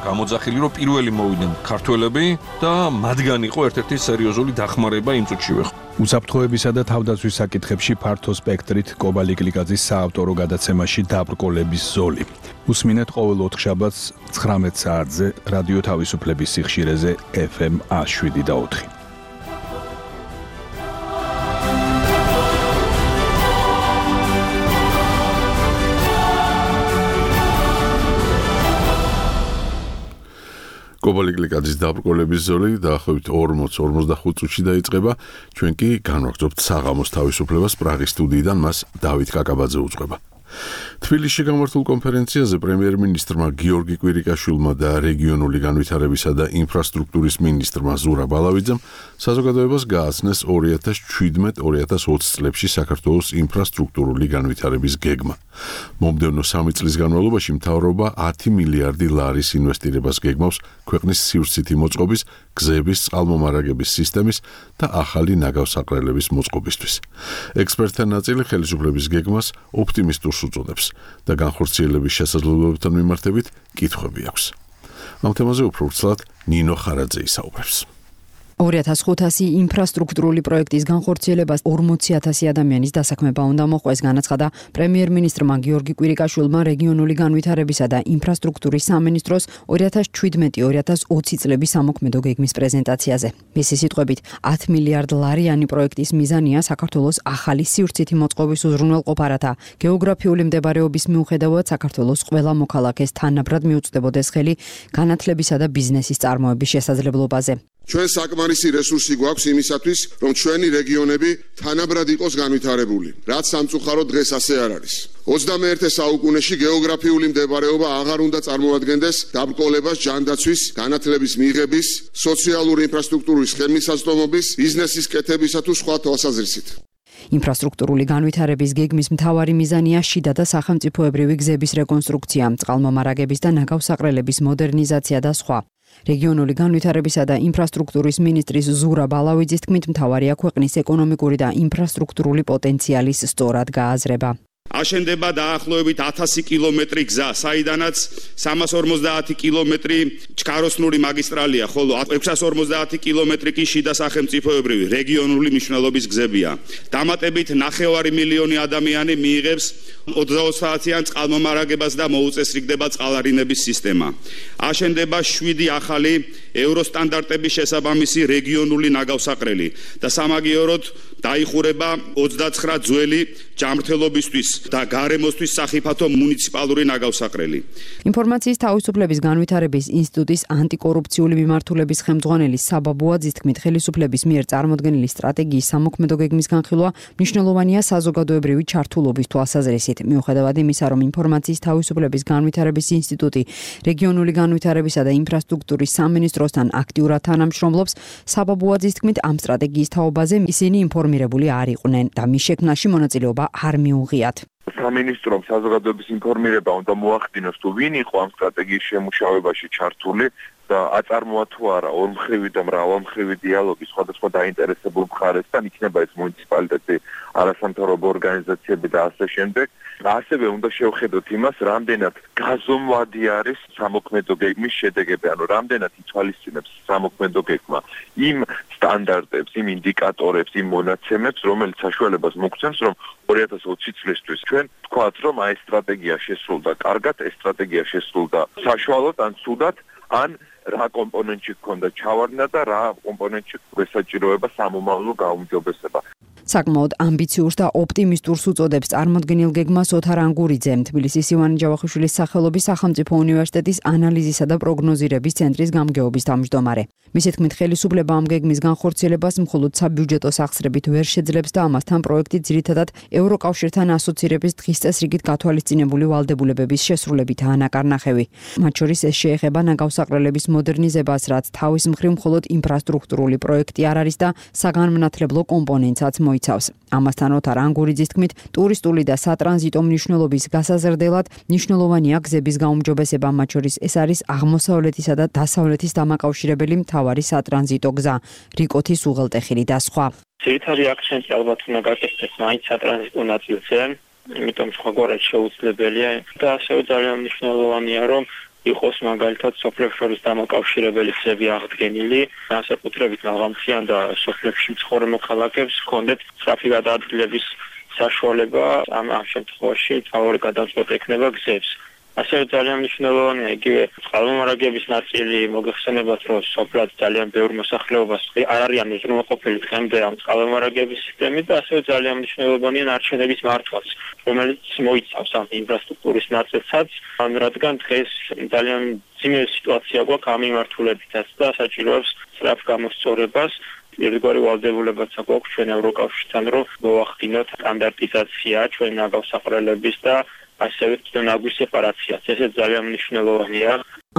გამოძახილი რომ პირველი მოვიდნენ ქართველები და მათგან იყო ერთ-ერთი სერიოზული დახმარება იმ წუთშივე. უსაფრთხოებისა და თავდაცვის საკითხებში ფართო სპექტრით კობალი გლიკაძის საავტორო გადაცემაში დაბრკოლების ზოლი. უსმინეთ ყოველ 4 შაბათს 19 საათზე რადიო თავისუფლების სიხშირეზე FM 107.4. კობალი გლიკაძის დაბრკოლების ზოლი დაახლოებით 40-45 წუთში დაიწყება. ჩვენ კი განვაგრძობთ საღამოს თავისუფლებას პრაღის სტუდიიდან მას დავით კაკაბაძე უძღვება. თბილისში გამართულ კონფერენციაზე პრემიერ-მინისტრმა გიორგი კვირიკაშვილმა და რეგიონული განვითარებისა და ინფრასტრუქტურის მინისტრმა ზურაბ ბალავიძემ საზოგადოებას გააცნეს 2017-2020 წლებში საქართველოს ინფრასტრუქტურული განვითარების გეგმა. მომდევნო 3 წლის განმავლობაში მთავრობა 10 მილიარდი ლარის ინვესტირებას გეგმავს ქვეყნის სივრცითი მოწყობის, გზების, წყალმომარაგების სისტემის და ახალი ნაგავსაყრელების მოწყობისთვის. ექსპერტთა ნაწილი ხელისუფლების გეგმას ოპტიმისტურს უწოდებს და განხორციელების შესაძლებლობებთან მიმართებით კითხვები აქვს. ამ თემაზე უფრო ვრცლად ნინო ხარაძე ისაუბრებს. 2500 ინფრასტრუქტურული პროექტის განხორციელებას 40,000 ადამიანის დასაქმება უნდა მოყვეს, განაცხადა პრემიერ-მინისტრმა გიორგი კვირიკაშვილმა რეგიონული განვითარებისა და ინფრასტრუქტურის სამინისტროს 2017-2020 წლების სამოქმედო გეგმის პრეზენტაციაზე. მისი სიტყვებით, 10 მილიარდ ლარიანი პროექტის მიზანია საქართველოს ახალი სივრცითი მოწყობის უზრუნველყოფა, რათა გეოგრაფიული მდებარეობის მიუხედავად საქართველოს ყველა მოქალაქეს თანაბრად მიუწვდებოდეს ხელი განათლებისა და ბიზნესის წარმოების შესაძლებლობაზე. ჩვენ საკმარისი რესურსი გვაქვს იმისათვის, რომ ჩვენი რეგიონები თანაბრად იყოს განვითარებული, რაც სამწუხაროდ დღეს ასე არ არის. 21 საუკუნეში გეოგრაფიული მდებარეობა აღარ უნდა წარმოადგენდეს დაბრკოლებას ჯანდაცვის, განათლების მიღების, სოციალური ინფრასტრუქტურის ხელმისაწვდომობის, ბიზნესის კეთებისა თუ სხვა თვალსაზრისით. ინფრასტრუქტურული განვითარების გეგმის მთავარი მიზანია შიდა და სახელმწიფოებრივი გზების რეკონსტრუქცია, წყალმომარაგების და ნაგავსაყრელების მოდერნიზაცია და სხვა. რეგიონული განვითარებისა და ინფრასტრუქტურის მინისტრის ზურაბ ბალავიძის თქმით, მთავარია ქვეყნის ეკონომიკური და ინფრასტრუქტურული პოტენციალის სწორად გააზრება. აშენდება დაახლოებით 1000 კილომეტრი გზა, საიდანაც 350 კილომეტრი ჩქაროსნური მაგისტრალია, ხოლო 650 კილომეტრი კი შიდა სახელმწიფოებრივი რეგიონული მნიშვნელობის გზებია. დამატებით 9 მილიონი ადამიანი მიიღებს 20 საათიან წყალმომარაგებას და მოუწესრიგდება წყალარინების სისტემა. აშენდება 7 ახალი ევროსტანდარტების შესაბამისი რეგიონული ნაგავსაყრელი და სამაგიეროდ დაიხურება 29 ძველი ჯანმრთელობისთვის და გარემოსთვის სახიფათო მუნიციპალური ნაგავსაყრელი. ინფორმაციის თავისუფლების განვითარების ინსტიტუტის ანტიკორუფციული მიმართულების ხელმძღვანელი საბა ბუაძის თქმით, ხელისუფლების მიერ წარმოდგენილი სტრატეგიის სამოქმედო გეგმის განხილვა მნიშვნელოვანია საზოგადოებრივი ჩართულობის თვალსაზრისით. მიუხედავად იმისა, რომ ინფორმაციის თავისუფლების განვითარების ინსტიტუტი რეგიონული განვითარებისა და ინფრასტრუქტურის სამინისტროსთან აქტიურად თანამშრომლობს, საბა ბუაძის თქმით, ამ სტრატეგიის თაობაზე ისინი ინფორმირებული არ იყვნენ და მის შექმნაში მონაწილეობა არ მიუღიათ. სამინისტრომ საზოგადოების ინფორმირება უნდა მოახდინოს, თუ ვინ იყო ამ სტრატეგიის შემუშავებაში ჩართული და აწარმოა თუ არა ორმხრივი და მრავალმხრივი დიალოგი სხვადასხვა დაინტერესებულ მხარესთან, იქნება ეს მუნიციპალიტეტი, არასამთავრობო ორგანიზაციები და ასე შემდეგ. ასევე უნდა შევხედოთ იმას, რამდენად გაზომვადი არის სამოქმედო გეგმის შედეგები, ანუ რამდენად ითვალისწინებს სამოქმედო გეგმა იმ სტანდარტებს, იმ ინდიკატორებს, იმ მონაცემებს, რომელიც საშუალებას მოგცემს, რომ 2020 წლისთვის ჩვენ ვთქვათ, რომ აი სტრატეგია შესრულდა კარგად, ეს სტრატეგია შესრულდა საშუალოდ ან ცუდად, ან რა კომპონენტში გქონდა ჩავარდნა და რა კომპონენტში გვესაჭიროება სამომავლო გაუმჯობესება. საკმაოდ ამბიციურს და ოპტიმისტურს უწოდებს წარმოდგენილ გეგმას ოთარ ანგურიძე, თბილისის ივანე ჯავახიშვილის სახელობის სახელმწიფო უნივერსიტეტის ანალიზისა და პროგნოზირების ცენტრის გამგეობის თავმჯდომარე. მისი თქმით, ხელისუფლება ამ გეგმის განხორციელებას მხოლოდ საბიუჯეტო სახსრებით ვერ შეძლებს და ამასთან პროექტი ძირითადად ევროკავშირთან ასოცირების დღის წესრიგით გათვალისწინებული ვალდებულებების შესრულებითაა ნაკარნახევი. მათ შორის ეს შეეხება ნაგავსაყრელების მოდერნიზებას, რაც თავის მხრივ მხოლოდ ინფრასტრუქტურული პროექტი არ არის და საგანმანათლებლო კომპონენტსაც მოიცავს. ამასთან ოთარ ანგურიძის თქმით, ტურისტული და სატრანზიტო მნიშვნელობის გასაზრდელად მნიშვნელოვანია გზების გაუმჯობესება, მათ შორის ეს არის აღმოსავლეთისა და დასავლეთის დამაკავშირებელი მთავარი სატრანზიტო გზა, რიკოთის უღელტეხილი და სხვა. ძირითადი აქცენტი ალბათ უნდა გაკეთდეს მაინც სატრანზიტო ნაწილზე, იმიტომ სხვაგვარად შეუძლებელია და ასევე ძალიან მნიშვნელოვანია, რომ იყოს მაგალითად სოფლებს შორის დამაკავშირებელი გზები აღდგენილი, განსაკუთრებით მაღალმთიან და სოფლებში მცხოვრე მოქალაქეებს ჰქონდეთ სწრაფი გადაადგილების საშუალება, ამ შემთხვევაში თავი გადამწყვეტ ექნება გზებს. ასევე ძალიან მნიშვნელოვანია იგივე წყალმომარაგების ნაწილი, მოგეხსენებათ, რომ სოფლად ძალიან ბევრ მოსახლეობას არ არიან უზრუნველყოფილი დღემდე ამ წყალმომარაგების სისტემით და ასევე ძალიან მნიშვნელოვანია ნარჩენების მართვაც, რომელიც მოიცავს ამ ინფრასტრუქტურის ნაწილსაც, რადგან დღეს ძალიან ძიმე სიტუაცია გვაქვს ამ მიმართულებითაც და საჭიროებს სწრაფ გამოსწორებას. ერთგვარი ვალდებულებაც აქვს ჩვენ ევროკავშირთან, რომ მოახდინოთ სტანდარტიზაცია ჩვენ ნაგავსაყრელების და ასევე ნაგვის სეპარაციაც. ეს ძალიან მნიშვნელოვანია.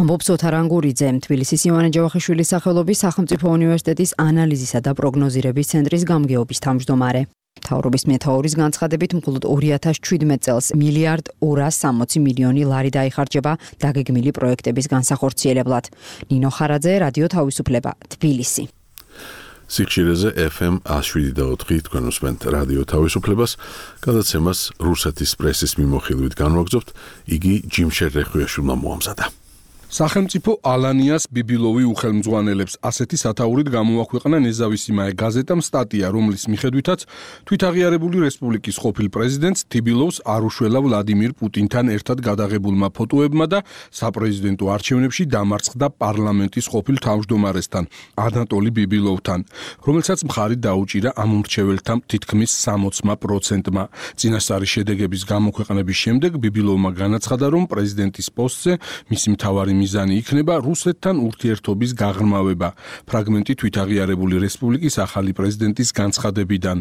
ამბობს ოთარ ანგურიძე, თბილისის ივანე ჯავახიშვილის სახელობის სახელმწიფო უნივერსიტეტის ანალიზისა და პროგნოზირების ცენტრის გამგეობის თავმჯდომარე. მთავრობის მეთაურის განცხადებით, მხოლოდ 2017 წელს 1,260 ლარი დაიხარჯება დაგეგმილი პროექტების განსახორციელებლად. ნინო ხარაძე, რადიო თავისუფლება, თბილისი. სიხშირეზე FM 107.4 თქვენ უსმენთ რადიო თავისუფლებას, გადაცემას რუსეთის პრესის მიმოხილვით განვაგრძობთ, იგი ჯიმშერ რეხვიაშვილმა მოამზადა. სახელმწიფო ალანიას ბიბილოვი უხელმძღვანელებს ასეთი სათაურით გამოაქვეყნა ნეზავისიმაე გაზეტამ სტატია, რომლის მიხედვითაც თვითაღიარებული რესპუბლიკის ყოფილ პრეზიდენტს თიბილოვს არ უშველა ვლადიმირ პუტინთან ერთად გადაღებულმა ფოტოებმა და საპრეზიდენტო არჩევნებში დამარცხდა პარლამენტის ყოფილ თავმჯდომარესთან, ანატოლი ბიბილოვთან, რომელსაც მხარი დაუჭირა ამ მრჩეველთა თითქმის 60%-მა. წინასწარი შედეგების გამოქვეყნების შემდეგ ბიბილოვმა განაცხადა, რომ პრეზიდენტის პოსტზე მისი მთავარი მიზანი იქნება რუსეთთან ურთიერთობის გაღრმავება. ფრაგმენტი თვითაღიარებული რესპუბლიკის ახალი პრეზიდენტის განცხადებიდან.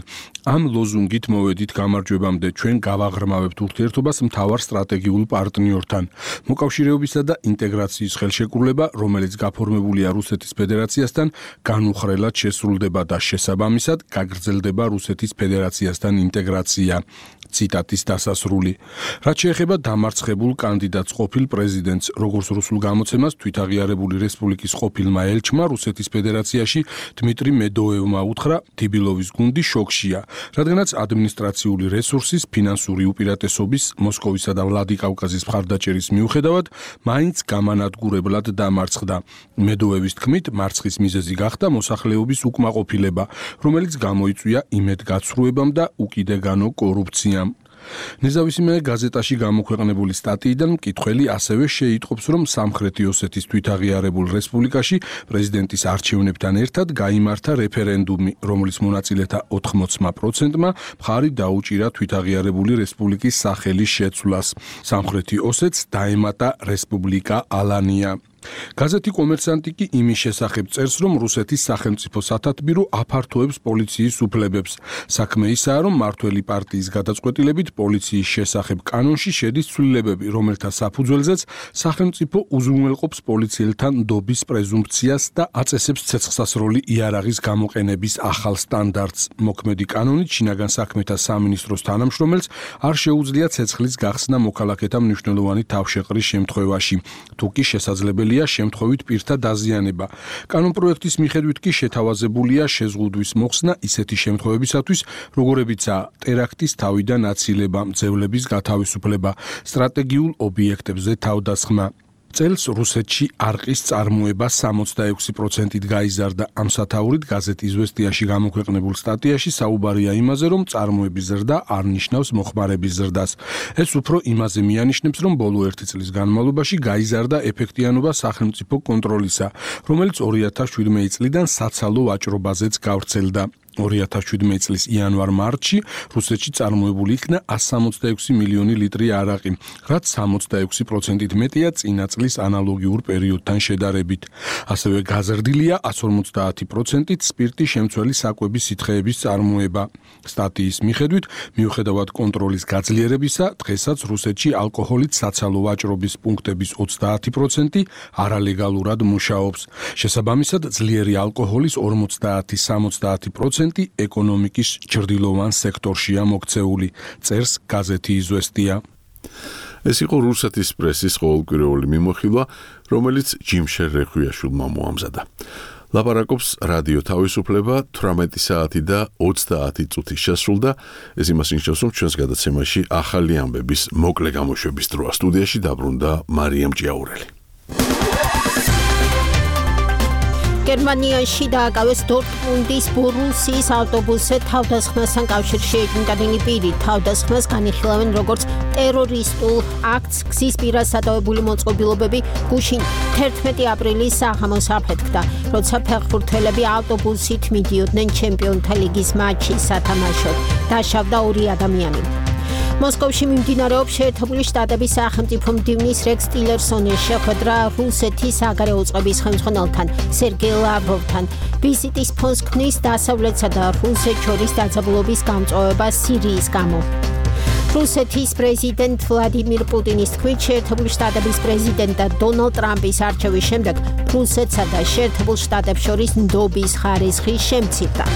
ამ ლოზუნგით მოვედით გამარჯვებამდე, ჩვენ გავაღრმავებთ ურთიერთობას მთავარ სტრატეგიულ პარტნიორთან. მოკავშირეობისა და ინტეგრაციის ხელშეკრულება, რომელიც გაფორმებულია რუსეთის ფედერაციასთან, განუხრელად შესრულდება და შესაბამისად გაგრძელდება რუსეთის ფედერაციასთან ინტეგრაცია. ციტატის დასასრული. რაც შეეხება დამარცხებულ კანდიდატს ყოფილ პრეზიდენტს, როგორც რუსულ გამოცემას თვითაღიარებული რესპუბლიკის ყოფილმა ელჩმა რუსეთის ფედერაციაში დმიტრი მედოევმა უთხრა, თიბილოვის გუნდი შოქშია, რადგანაც ადმინისტრაციული რესურსის, ფინანსური უპირატესობის, მოსკოვისა და ვლადიკავკაზის მხარდაჭერის მიუხედავად, მაინც გამანადგურებლად დამარცხდა. მედოევის თქმით, მარცხის მიზეზი გახდა მოსახლეობის უკმაყოფილება, რომელიც გამოიწვია იმედგაცრუებამ და უკიდეგანო კორუფციამ. ნეზავისიმე გაზეტაში გამოქვეყნებული სტატიიდან მკითხველი ასევე შეიტყობს, რომ სამხრეთი ოსეთის თვითაღიარებულ რესპუბლიკაში პრეზიდენტის არჩევნებთან ერთად გაიმართა რეფერენდუმი, რომლის მონაწილეთა 80%-მა მხარი დაუჭირა თვითაღიარებული რესპუბლიკის სახელის შეცვლას. სამხრეთი ოსეთს დაემატა რესპუბლიკა ალანია. გაზეთი კომერსანტი კი იმის შესახებ წერს, რომ რუსეთის სახელმწიფო სათათბირო აფართოებს პოლიციის უფლებებს. საქმე ისაა, რომ მმართველი პარტიის გადაწყვეტილებით პოლიციის შესახებ კანონში შედის ცვლილებები, რომელთა საფუძველზეც სახელმწიფო უზრუნველყოფს პოლიციელთან ნდობის პრეზუმფციას და აწესებს ცეცხლსასროლი იარაღის გამოყენების ახალ სტანდარტს. მოქმედი კანონით შინაგან საქმეთა სამინისტროს თანამშრომელს არ შეუძლია ცეცხლის გახსნა მოქალაქეთა მნიშვნელოვანი თავშეყრის შემთხვევაში, თუ კი შესაძლებელია შემთხვევით პირთა დაზიანება. კანონპროექტის მიხედვით კი შეთავაზებულია შეზღუდვის მოხსნა ისეთი შემთხვევებისათვის, როგორებიცაა ტერაქტის თავიდან აცილება, მძევლების გათავისუფლება, სტრატეგიულ ობიექტებზე თავდასხმა. წელს რუსეთში არყის წარმოება 66%-ით გაიზარდა. ამ სათაურით გაზეთ იზვესტიაში გამოქვეყნებულ სტატიაში საუბარია იმაზე, რომ წარმოების ზრდა არ ნიშნავს მოხმარების ზრდას. ეს უფრო იმაზე მიანიშნებს, რომ ბოლო 1 წლის განმავლობაში გაიზარდა ეფექტიანობა სახელმწიფო კონტროლისა, რომელიც 2017 წლიდან საცალო ვაჭრობაზეც გავრცელდა. 2017 წლის იანვარ-მარტში რუსეთში წარმოებული იქნა 166 მილიონი ლიტრი არაყი, რაც 66%-ით მეტია წინა წლის ანალოგიურ პერიოდთან შედარებით. ასევე გაზრდილია 150%-ით სპირტის შემცველი საკვების სითხეების წარმოება. სტატიის მიხედვით, მიუხედავად კონტროლის გაძლიერებისა, დღესაც რუსეთში ალკოჰოლით საცალო ვაჭრობის პუნქტების 30% არალეგალურად მუშაობს. შესაბამისად, ძლიერი ალკოჰოლის 50-70% ეკონომიკის ჩრდილოვან სექტორშია მოქცეული, წერს გაზეთი „იზვესტია“. ეს იყო რუსეთის პრესის ყოველკვირეული მიმოხილვა, რომელიც ჯიმშერ რეხვიაშვილმა მოამზადა. ლაპარაკობს რადიო თავისუფლება 18 საათი და 30 წუთის შესრულდა. ეს იმას ნიშნავს, რომ ჩვენს გადაცემაში ახალი ამბების მოკლე გამოშვების დროა. სტუდიაში დაბრუნდა მარიამ ჭიაურელი. გერმანიაში დააკავეს დორტმუნდის ბორუსიის ავტობუსზე თავდასხმასთან კავშირში ეჭვმიტანილი პირი. თავდასხმას განიხილავენ როგორც ტერორისტულ აქტს. გზის პირას სადავებული მოწყობილობები გუშინ 11 აპრილის საღამოს აფეთქდა, როცა ფეხბურთელები ავტობუსით მიდიოდნენ ჩემპიონთა ლიგის მატჩის სათამაშოდ. დაშავდა 2 ადამიანი. მოსკოვში მიმდინარეობს შეერთებული შტატების სახელმწიფო მდივნის რექს ტილერსონის შეხვედრა რუსეთის საგარეო უწყების ხელმძღვანელთან სერგეი ლავროვთან. ვიზიტის ფონს ქმნის დასავლეთსა და რუსეთს შორის დაძაბულობის გამწვავება სირიის გამო. რუსეთის პრეზიდენტ ვლადიმირ პუტინის თქმით, შეერთებული შტატების პრეზიდენტად დონალდ ტრამპის არჩევის შემდეგ რუსეთსა და შეერთებულ შტატებს შორის ნდობის ხარისხი შემცირდა.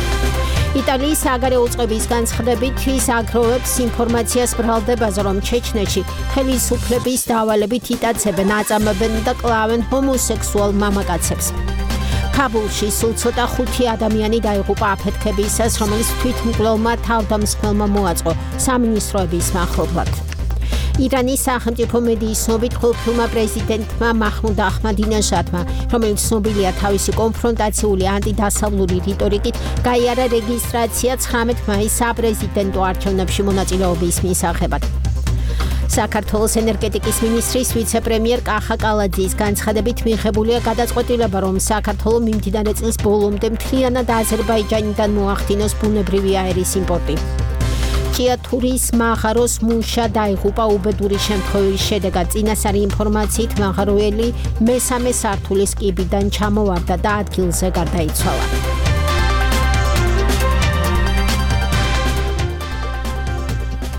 იტალიის საგარეო უწყების განცხადებით ის აგროვებს ინფორმაციას ბრალდებაზე, რომ ჩეჩნეთში ხელისუფლების დავალებით იტაცებენ, აწამებენ და კლავენ ჰომოსექსუალ მამაკაცებს. ქაბულში სულ ცოტა 5 ადამიანი დაიღუპა აფეთქებისას, რომელიც თვითმკვლელმა თავდამსხმელმა მოაწყო სამინისტროების მახლობლად. ირანის სახელმწიფო მედიის ცნობით ხილფილმა პრეზიდენტმა მაჰმუდ აჰმადინეჟადმა, რომელიც ცნობილია თავისი კონფრონტაციული ანტიდასავლური რიტორიკით, გაიარა რეგისტრაცია 19 მაისს საპრეზიდენტო არჩევნებში მონაწილეობის მისაღებად. საქართველოს ენერგეტიკის მინისტრის ვიცე-პრემიერ კახა კალაძის განცხადებით მიღებულია გადაწყვეტილება, რომ საქართველო მიმდინარე წლის ბოლომდე მთლიანად აზერბაიჯანიდან მოახდინოს ბუნებრივი აერის იმპორტი. ჭიათურის მაღაროს მუშა დაიღუპა უბედური შემთხვევის შედეგად. წინასწარი ინფორმაციით მაღაროელი მესამე სართულის კიბიდან ჩამოვარდა და ადგილზე გარდაიცვალა.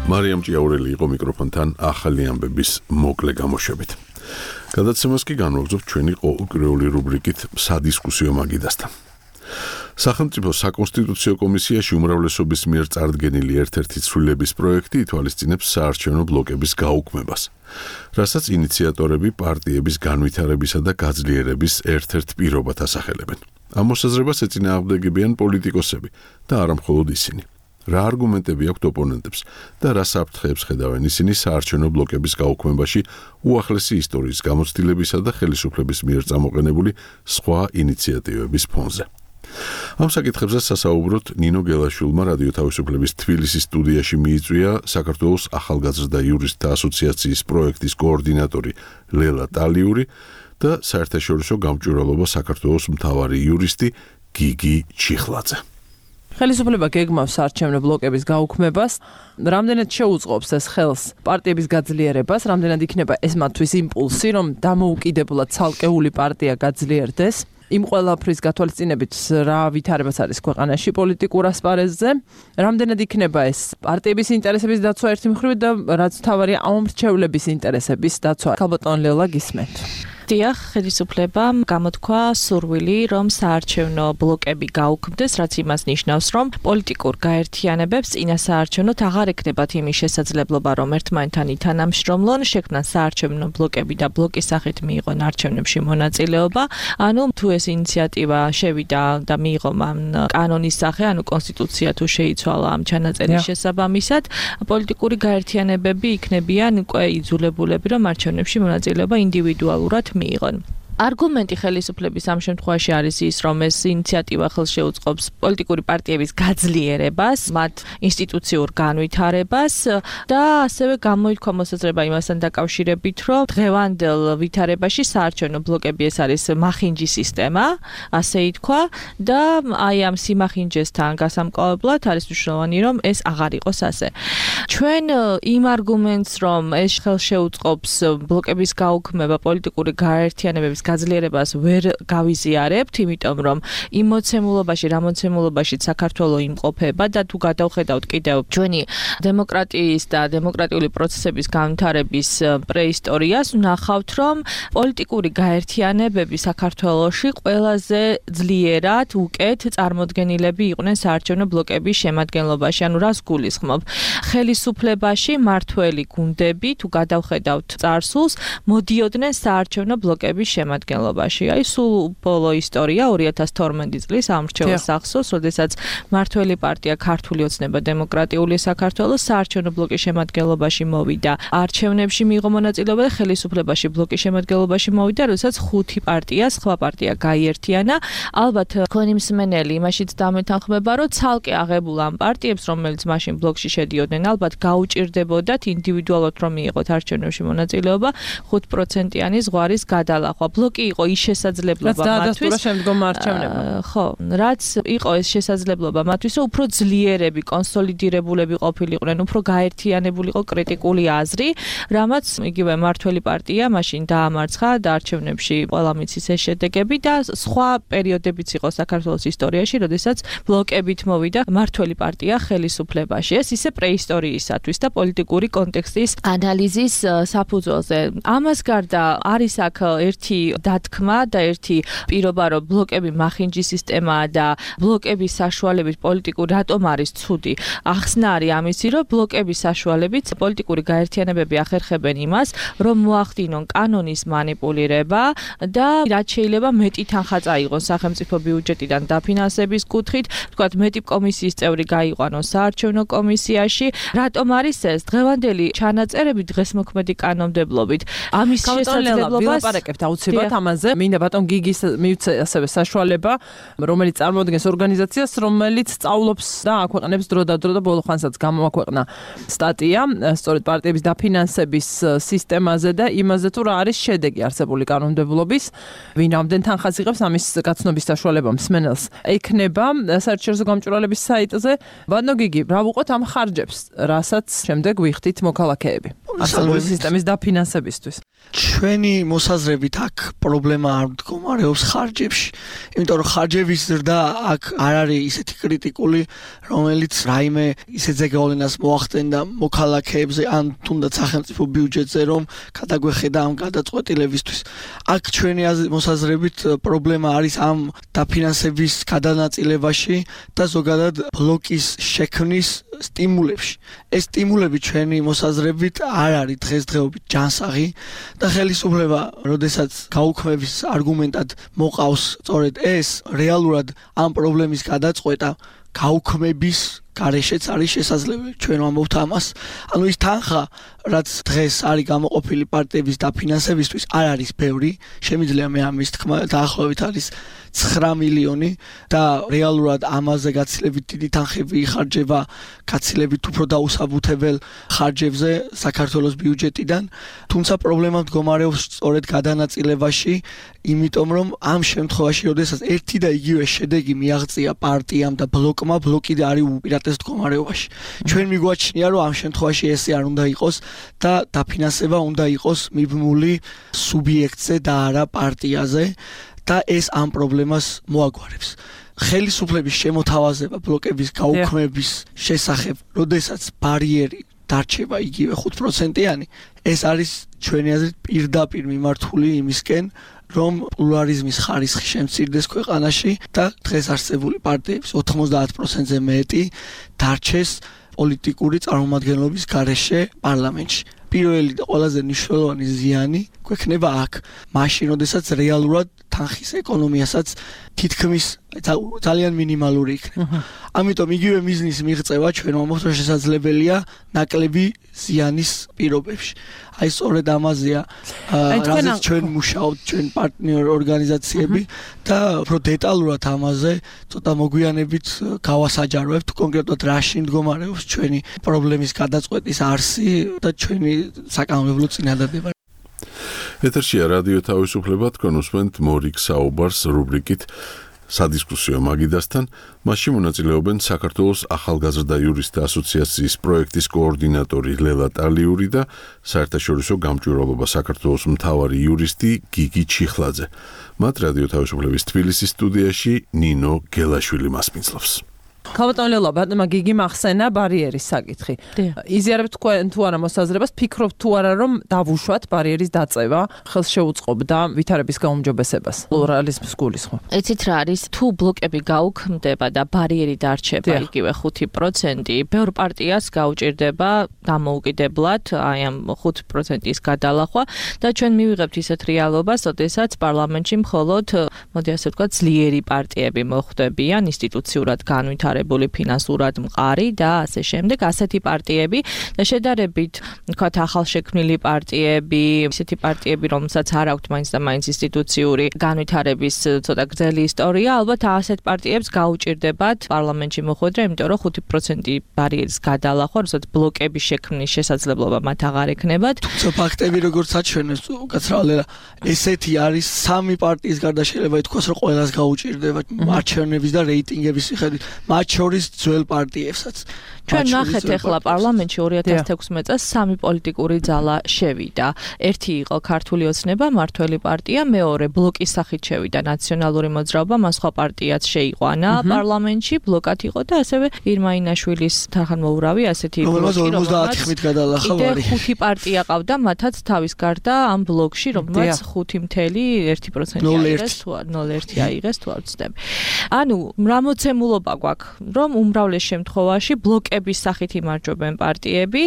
მარიამ ჭიაურელი იყო მიკროფონთან ახალი ამბების მოკლე გამოშვებით. გადაცემას კი განვაგრძობთ ჩვენი ყოველკვირეული რუბრიკით სადისკუსიო მაგიდასთან. სახელმწიფო საკონსტიტუციო კომისიაში უმრავლესობის მიერ წარდგენილი ერთ-ერთი ცვლილების პროექტი ითვალისწინებს საარჩევნო ბლოკების გაუქმებას, რასაც ინიციატორები პარტიების განვითარებისა და გაძლიერების ერთ-ერთ პირობად ასახელებენ. ამ მოსაზრებას ეწინააღმდეგებიან პოლიტიკოსები და არა მხოლოდ ისინი. რა არგუმენტები აქვთ ოპონენტებს და რა საფრთხეებს ხედავენ ისინი საარჩევნო ბლოკების გაუქმებაში უახლესი ისტორიის გამოცდილებისა და ხელისუფლების მიერ წამოყენებული სხვა ინიციატივების ფონზე. ამ საკითხებზე სასაუბროთ ნინო გელაშვილმა რადიო თავისუფლების თბილისის სტუდიაში მიიწვია საქართველოს ახალგაზრდა იურისტთა ასოციაციის პროექტის კოორდინატორი ლელა ტალიური და საერთაშორისო გამჭვირვალობა საქართველოს მთავარი იურისტი გიგი ჩიხლაძე. ხელისუფლება გეგმავს საარჩევნო ბლოკების გაუქმებას, რამდენად შეუწყობს ეს ხელს პარტიების გაძლიერებას, რამდენად იქნება ეს მათთვის იმპულსი, რომ დამოუკიდებლად ცალკეული პარტია გაძლიერდეს. იმ ყველაფრის გათვალისწინებით რა ვითარებაც არის ქვეყანაში პოლიტიკურ ასპარეზზე, რამდენად იქნება ეს პარტიების ინტერესების დაცვა ერთი მხრივ და რაც თავარია ამომრჩევლების ინტერესების დაცვა. ქალბატონ ლელა გისმენთ. დიახ, ხელისუფლებამ გამოთქვა სურვილი, რომ საარჩევნო ბლოკები გაუქმდეს, რაც იმას ნიშნავს, რომ პოლიტიკურ გაერთიანებებს წინა საარჩევნოთ აღარ ექნებათ იმის შესაძლებლობა, რომ ერთმანეთთან ითანამშრომლონ, შექმნან საარჩევნო ბლოკები და ბლოკის სახით მიიღონ არჩევნებში მონაწილეობა. ანუ თუ ეს ინიციატივა შევიდა და მიიღო მან კანონის სახე, ანუ კონსტიტუცია თუ შეიცვალა ამ ჩანაწერის შესაბამისად, პოლიტიკური გაერთიანებები იქნებიან უკვე იძულებულები, რომ არჩევნებში მონაწილეობა ინდივიდუალურად მიიღონ. არგუმენტი ხელისუფლების ამ შემთხვევაში არის ის, რომ ეს ინიციატივა ხელს შეუწყობს პოლიტიკური პარტიების გაძლიერებას, მათ ინსტიტუციურ განვითარებას და ასევე გამოიქვა მოსაზრება იმასთან დაკავშირებით, რომ დღევანდელ ვითარებაში საარჩევნო ბლოკები ეს არის მახინჯი სისტემა, ასე ითქვა და აი ამ სიმახინჯესთან გასამკლავებლად არის მნიშვნელოვანი, რომ ეს აღარ იყოს ასე. ჩვენ იმ არგუმენტს, რომ ეს ხელს შეუწყობს ბლოკების გაუქმება, პოლიტიკური გაერთიანებების გაძლიერებას ვერ გავიზიარებთ, იმიტომ რომ იმ მოცემულობაში, რა მოცემულობაშიც საქართველოს იმყოფება და თუ გადავხედავთ კიდევ ჩვენი დემოკრატიის და დემოკრატიული პროცესების განვითარების პრეისტორიას, ვნახავთ, რომ პოლიტიკური გაერთიანებები საქართველოში ყველაზე ძლიერად უკეთ წარმოდგენილები იყვნენ საარჩევნო ბლოკების შემადგენლობაში. ანუ რას გულისხმობ? ხელისუფლებაში მართველი გუნდები, თუ გადავხედავთ წარსულს, მოდიოდნენ საარჩევნო ბლოკების შემადგენლობაში. აი სულ ბოლო ისტორია 2012 წლის ამრჩეველ სახსოვს, როდესაც მართველი პარტია ქართული ოცნება დემოკრატიული საქართველოს საარჩევნო ბლოკის შემადგენლობაში მოვიდა. არჩევნებში მიიღო მონაწილეობა და ხელისუფლებაში ბლოკის შემადგენლობაში მოვიდა, როდესაც 5 პარტია, სხვა პარტია გაიერთიანა. ალბათ თქვენი მსმენელი იმაშიც დამეთანხმება, რომ ცალკე აღებულ ამ პარტიებს, რომელიც მაშინ ბლოკში შედიოდნენ, ალბათ გაუჭირდებოდათ ინდივიდუალურად რომ მიიღოთ არჩევნებში მონაწილეობა 5%-იანი ზღვარის გადალახვა. ბლოკი იყო ის შესაძლებლობა მათთვის, ხო, რაც იყო ეს შესაძლებლობა მათთვის, რომ უფრო ძლიერები, კონსოლიდირებულები ყოფილიყვნენ, უფრო გაერთიანებული იყო კრიტიკული აზრი, რამაც იგივე მართველი პარტია მაშინ დაამარცხა და არჩევნებში ყველა მიცის ეს შედეგები და სხვა პერიოდებიც იყო საქართველოს ისტორიაში, როდესაც ბლოკებით მოვიდა მართველი პარტია ხელისუფლებაში. ეს ისე პრეისტორიისათვის და პოლიტიკური კონტექსტის ანალიზის საფუძველზე. ამას გარდა არის აქ ერთი დათქმა და ერთი პირობა, რომ ბლოკები მახინჯი სისტემაა და ბლოკების საშუალებით პოლიტიკური რატომ არის ცუდი. ახსნა არის ამისი, რომ ბლოკების საშუალებით პოლიტიკური გაერთიანებები ახერხებენ იმას, რომ მოახდინონ კანონის მანიპულირება და რაც შეიძლება მეტი თანხა წაიღონ სახელმწიფო ბიუჯეტიდან დაფინანსების კუთხით, თქვათ მეტი კომისიის წევრი გაიყვანონ საარჩევნო კომისიაში. რატომ არის ეს? დღევანდელი ჩანაწერები დღესმოქმედი კანონმდებლობით ამის შესაძლებლობას ვილაპარაკებთ აუცილებლად ამაზე. მინდა ბატონ გიგის მივცე ასევე საშუალება, რომელიც წარმოადგენს ორგანიზაციას, რომელიც სწავლობს და აქვეყნებს დრო და ბოლო ხანსაც გამოაქვეყნა სტატია სწორედ პარტიების დაფინანსების სისტემაზე და იმაზე, თუ რა არის შედეგი არსებული კანონმდებლობის, ვინ რამდენ თანხას იღებს, ამის გაცნობის საშუალება მსმენელს ექნება საერთაშორისო გამჭვირვალების საიტზე. ბატონო გიგი, რა ვუყოთ ამ ხარჯებს, რასაც შემდეგ ვიხდით მოქალაქეები არსებული სისტემის დაფინანსებისთვის? ჩვენი მოსაზრებით აქ პრობლემა არ მდგომარეობს ხარჯებში, იმიტომ რომ ხარჯების ზრდა აქ არ არის ისეთი კრიტიკული, რომელიც რაიმე ისეთ ზეგავლენას მოახდენდა მოქალაქეებზე ან თუნდაც სახელმწიფო ბიუჯეტზე, რომ გადაგვეხედა ამ გადაწყვეტილებისთვის. აქ ჩვენი მოსაზრებით პრობლემა არის ამ დაფინანსების გადანაწილებაში და ზოგადად ბლოკის შექმნის სტიმულებში. ეს სტიმულები ჩვენი მოსაზრებით არ არის დღესდღეობით ჯანსაღი და ხელისუფლება, როდესაც გაუქმების არგუმენტად მოყავს სწორედ ეს, რეალურად ამ პრობლემის გადაწყვეტა გაუქმების გარეშეც არის შესაძლებელი. ჩვენ ვამბობთ ამას. ანუ ის თანხა, რაც დღეს არის გამოყოფილი პარტიების დაფინანსებისთვის, არ არის ბევრი. შემიძლია მე ამის თქმა დაახლოებით არის 9 მილიონი და რეალურად ამაზე გაცილებით დიდი თანხები იხარჯება გაცილებით უფრო დაუსაბუთებელ ხარჯებზე საქართველოს ბიუჯეტიდან. თუმცა პრობლემა მდგომარეობს სწორედ გადანაწილებაში, იმიტომ რომ ამ შემთხვევაში, როდესაც ერთი და იგივე შედეგი მიაღწია პარტიამ და ბლოკმა, ბლოკი არის უპირატეს მდგომარეობაში. ჩვენ მიგვაჩნია, რომ ამ შემთხვევაში ესე არ უნდა იყოს და დაფინანსება უნდა იყოს მიბმული სუბიექტზე და არა პარტიაზე და ეს ამ პრობლემას მოაგვარებს. ხელისუფლების შემოთავაზება ბლოკების გაუქმების შესახებ, როდესაც ბარიერი დარჩება იგივე 5%-იანი, ეს არის ჩვენი აზრით პირდაპირ მიმართული იმისკენ, რომ პლურალიზმის ხარისხი შემცირდეს ქვეყანაში და დღეს არსებული პარტიების 90%-ზე მეტი დარჩეს პოლიტიკური წარმომადგენლობის გარეშე პარლამენტში. პირველი და ყველაზე მნიშვნელოვანი ზიანი გვექნება აქ, მაშინ, როდესაც რეალურად თანხის ეკონომიასაც თითქმის ძალიან მინიმალური იქნება. ამიტომ იგივე მიზნის მიღწევა ჩვენ მომხდარ შესაძლებელია ნაკლები ზიანის პირობებში. აი სწორედ ამაზეა რაზეც ჩვენ მუშაობთ ჩვენ პარტნიორ ორგანიზაციები და უფრო დეტალურად ამაზე ცოტა მოგვიანებით გავასაჯაროებთ კონკრეტულად რაში მდგომარეობს ჩვენი პრობლემის გადაწყვეტის არსი და ჩვენი საკანონმდებლო წინადადება. ეთერშია რადიო თავისუფლება, თქვენ უსმენთ მორიგ საუბარს რუბრიკით სადისკუსიო მაგიდასთან. მასში მონაწილეობენ საქართველოს ახალგაზრდა იურისტთა ასოციაციის პროექტის კოორდინატორი ლელა ტალიური და საერთაშორისო გამჭვირვალობა საქართველოს მთავარი იურისტი გიგი ჩიხლაძე. მათ რადიო თავისუფლების თბილისის სტუდიაში ნინო გელაშვილი მასპინძლობს. ქალბატონელო, ბატონმა გიგი მახსენა ბარიერის საკითხი. იზიარებთ თქვენ თუ არა მოსაზრებას, ფიქრობთ თუ არა რომ დავუშვათ ბარიერის დაწევა ხელს შეუწყობდა ვითარების გაუმჯობესებას. პლურალიზმს გულისხმობ. ეცით რა არის, თუ ბლოკები გაუქმდება და ბარიერი დარჩება იგივე 5%, ბევრ პარტიას გაუჭირდება დამოუკიდებლად აი ამ 5%-ის გადალახვა და ჩვენ მივიღებთ ისეთ რეალობას, როდესაც პარლამენტში მხოლოდ, მოდი ასე ვთქვათ, ძლიერი პარტიები მოხვდებიან ინსტიტუციურად განვითარებული ფინანსურად მყარი და ასე შემდეგ, ასეთი პარტიები და შედარებით, ვთქვათ, ახალშექმნილი პარტიები, ისეთი პარტიები, რომელსაც არ აქვთ მაინც და მაინც ინსტიტუციური განვითარების ცოტა გრძელი ისტორია, ალბათ ასეთ პარტიებს გაუჭირდებათ პარლამენტში მოხვედრა, იმიტომ რომ 5% ბარიერის გადალახვა, როდესაც ბლოკების შექმნის შესაძლებლობა მათ აღარ ექნებათ. თუმცა ფაქტები როგორც აჩვენებს, უკაცრავად ესეთი არის სამი პარტიის გარდა შეიძლება ითქვას, რომ ყველას გაუჭირდება არჩევნების და რეიტინგების მიხედვით. მათ შორის ძველ პარტიებსაც. ჩვენ ნახეთ ახლა პარლამენტში 2016 წელს სამი პოლიტიკური ძალა შევიდა. ერთი იყო ქართული ოცნება, მართველი პარტია, მეორე ბლოკის სახით შევიდა ნაციონალური მოძრაობა, მას სხვა პარტიაც შეიყვანა პარლამენტში, ბლოკად იყო და ასევე ირმაინაშვილის თანხმოვურავი ასეთი ბლოკი, რომელსაც 50-ით გადალახა ვარი. 5 პარტია ყავდა, მათაც თავის გარდა ამ ბლოკში, რომელსაც 5.1% აიღეს თუ 0.1 აიღეს თუ არ ვცდები. ანუ რა მოცემულობა გვაქვს, რომ უმრავლეს შემთხვევაში ბლოკების სახით იმარჯვებენ პარტიები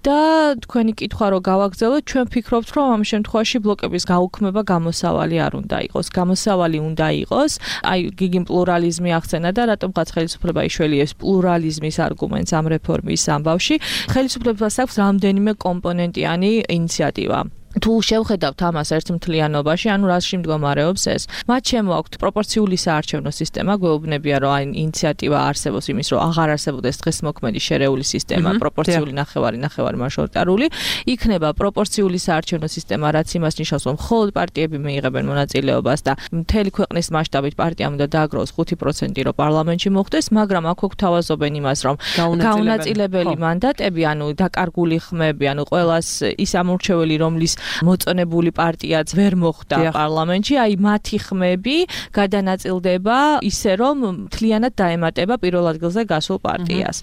და თქვენი კითხვა რო გავაგრძელოთ, ჩვენ ფიქრობთ, რომ ამ შემთხვევაში ბლოკების გაუქმება გამოსავალი არ უნდა იყოს. გამოსავალი უნდა იყოს, აი გიგიმ პლურალიზმი ახსენა და რატომღაც ხელისუფლება იშველიებს პლურალიზმის არგუმენტს ამ რეფორმის ამბავში. ხელისუფლებას აქვს რამდენიმე კომპონენტიანი ინიციატივა. თუ შევხედავთ ამას ერთმთლიანობაში, ანუ რაში მდგომარეობს ეს? მათ შემოაქვთ პროპორციული საარჩევნო სისტემა, გვეუბნებია, რომ აი ინიციატივა არსებობს იმის, რომ აღარ არსებობდეს დღეს მოქმედი შერეული სისტემა, პროპორციული ნახევარი მაჟორიტარული, იქნება პროპორციული საარჩევნო სისტემა, რაც იმას ნიშნავს, რომ მხოლოდ პარტიები მიიღებენ მონაწილეობას და მთელი ქვეყნის მასშტაბით პარტიამ უნდა დააგროვოს 5%, რომ პარლამენტში მოხვდეს, მაგრამ აქ გვთავაზობენ იმას, რომ გაუნაწილებელი მანდატები, ანუ დაკარგული ხმები, ანუ ყველას ის ამორჩეველი, რომლის მოწონებული პარტიაც ვერ მოხვდა პარლამენტში, აი მათი ხმები გადანაწილდება ისე, რომ მთლიანად დაემატება პირველ ადგილზე გასულ პარტიას.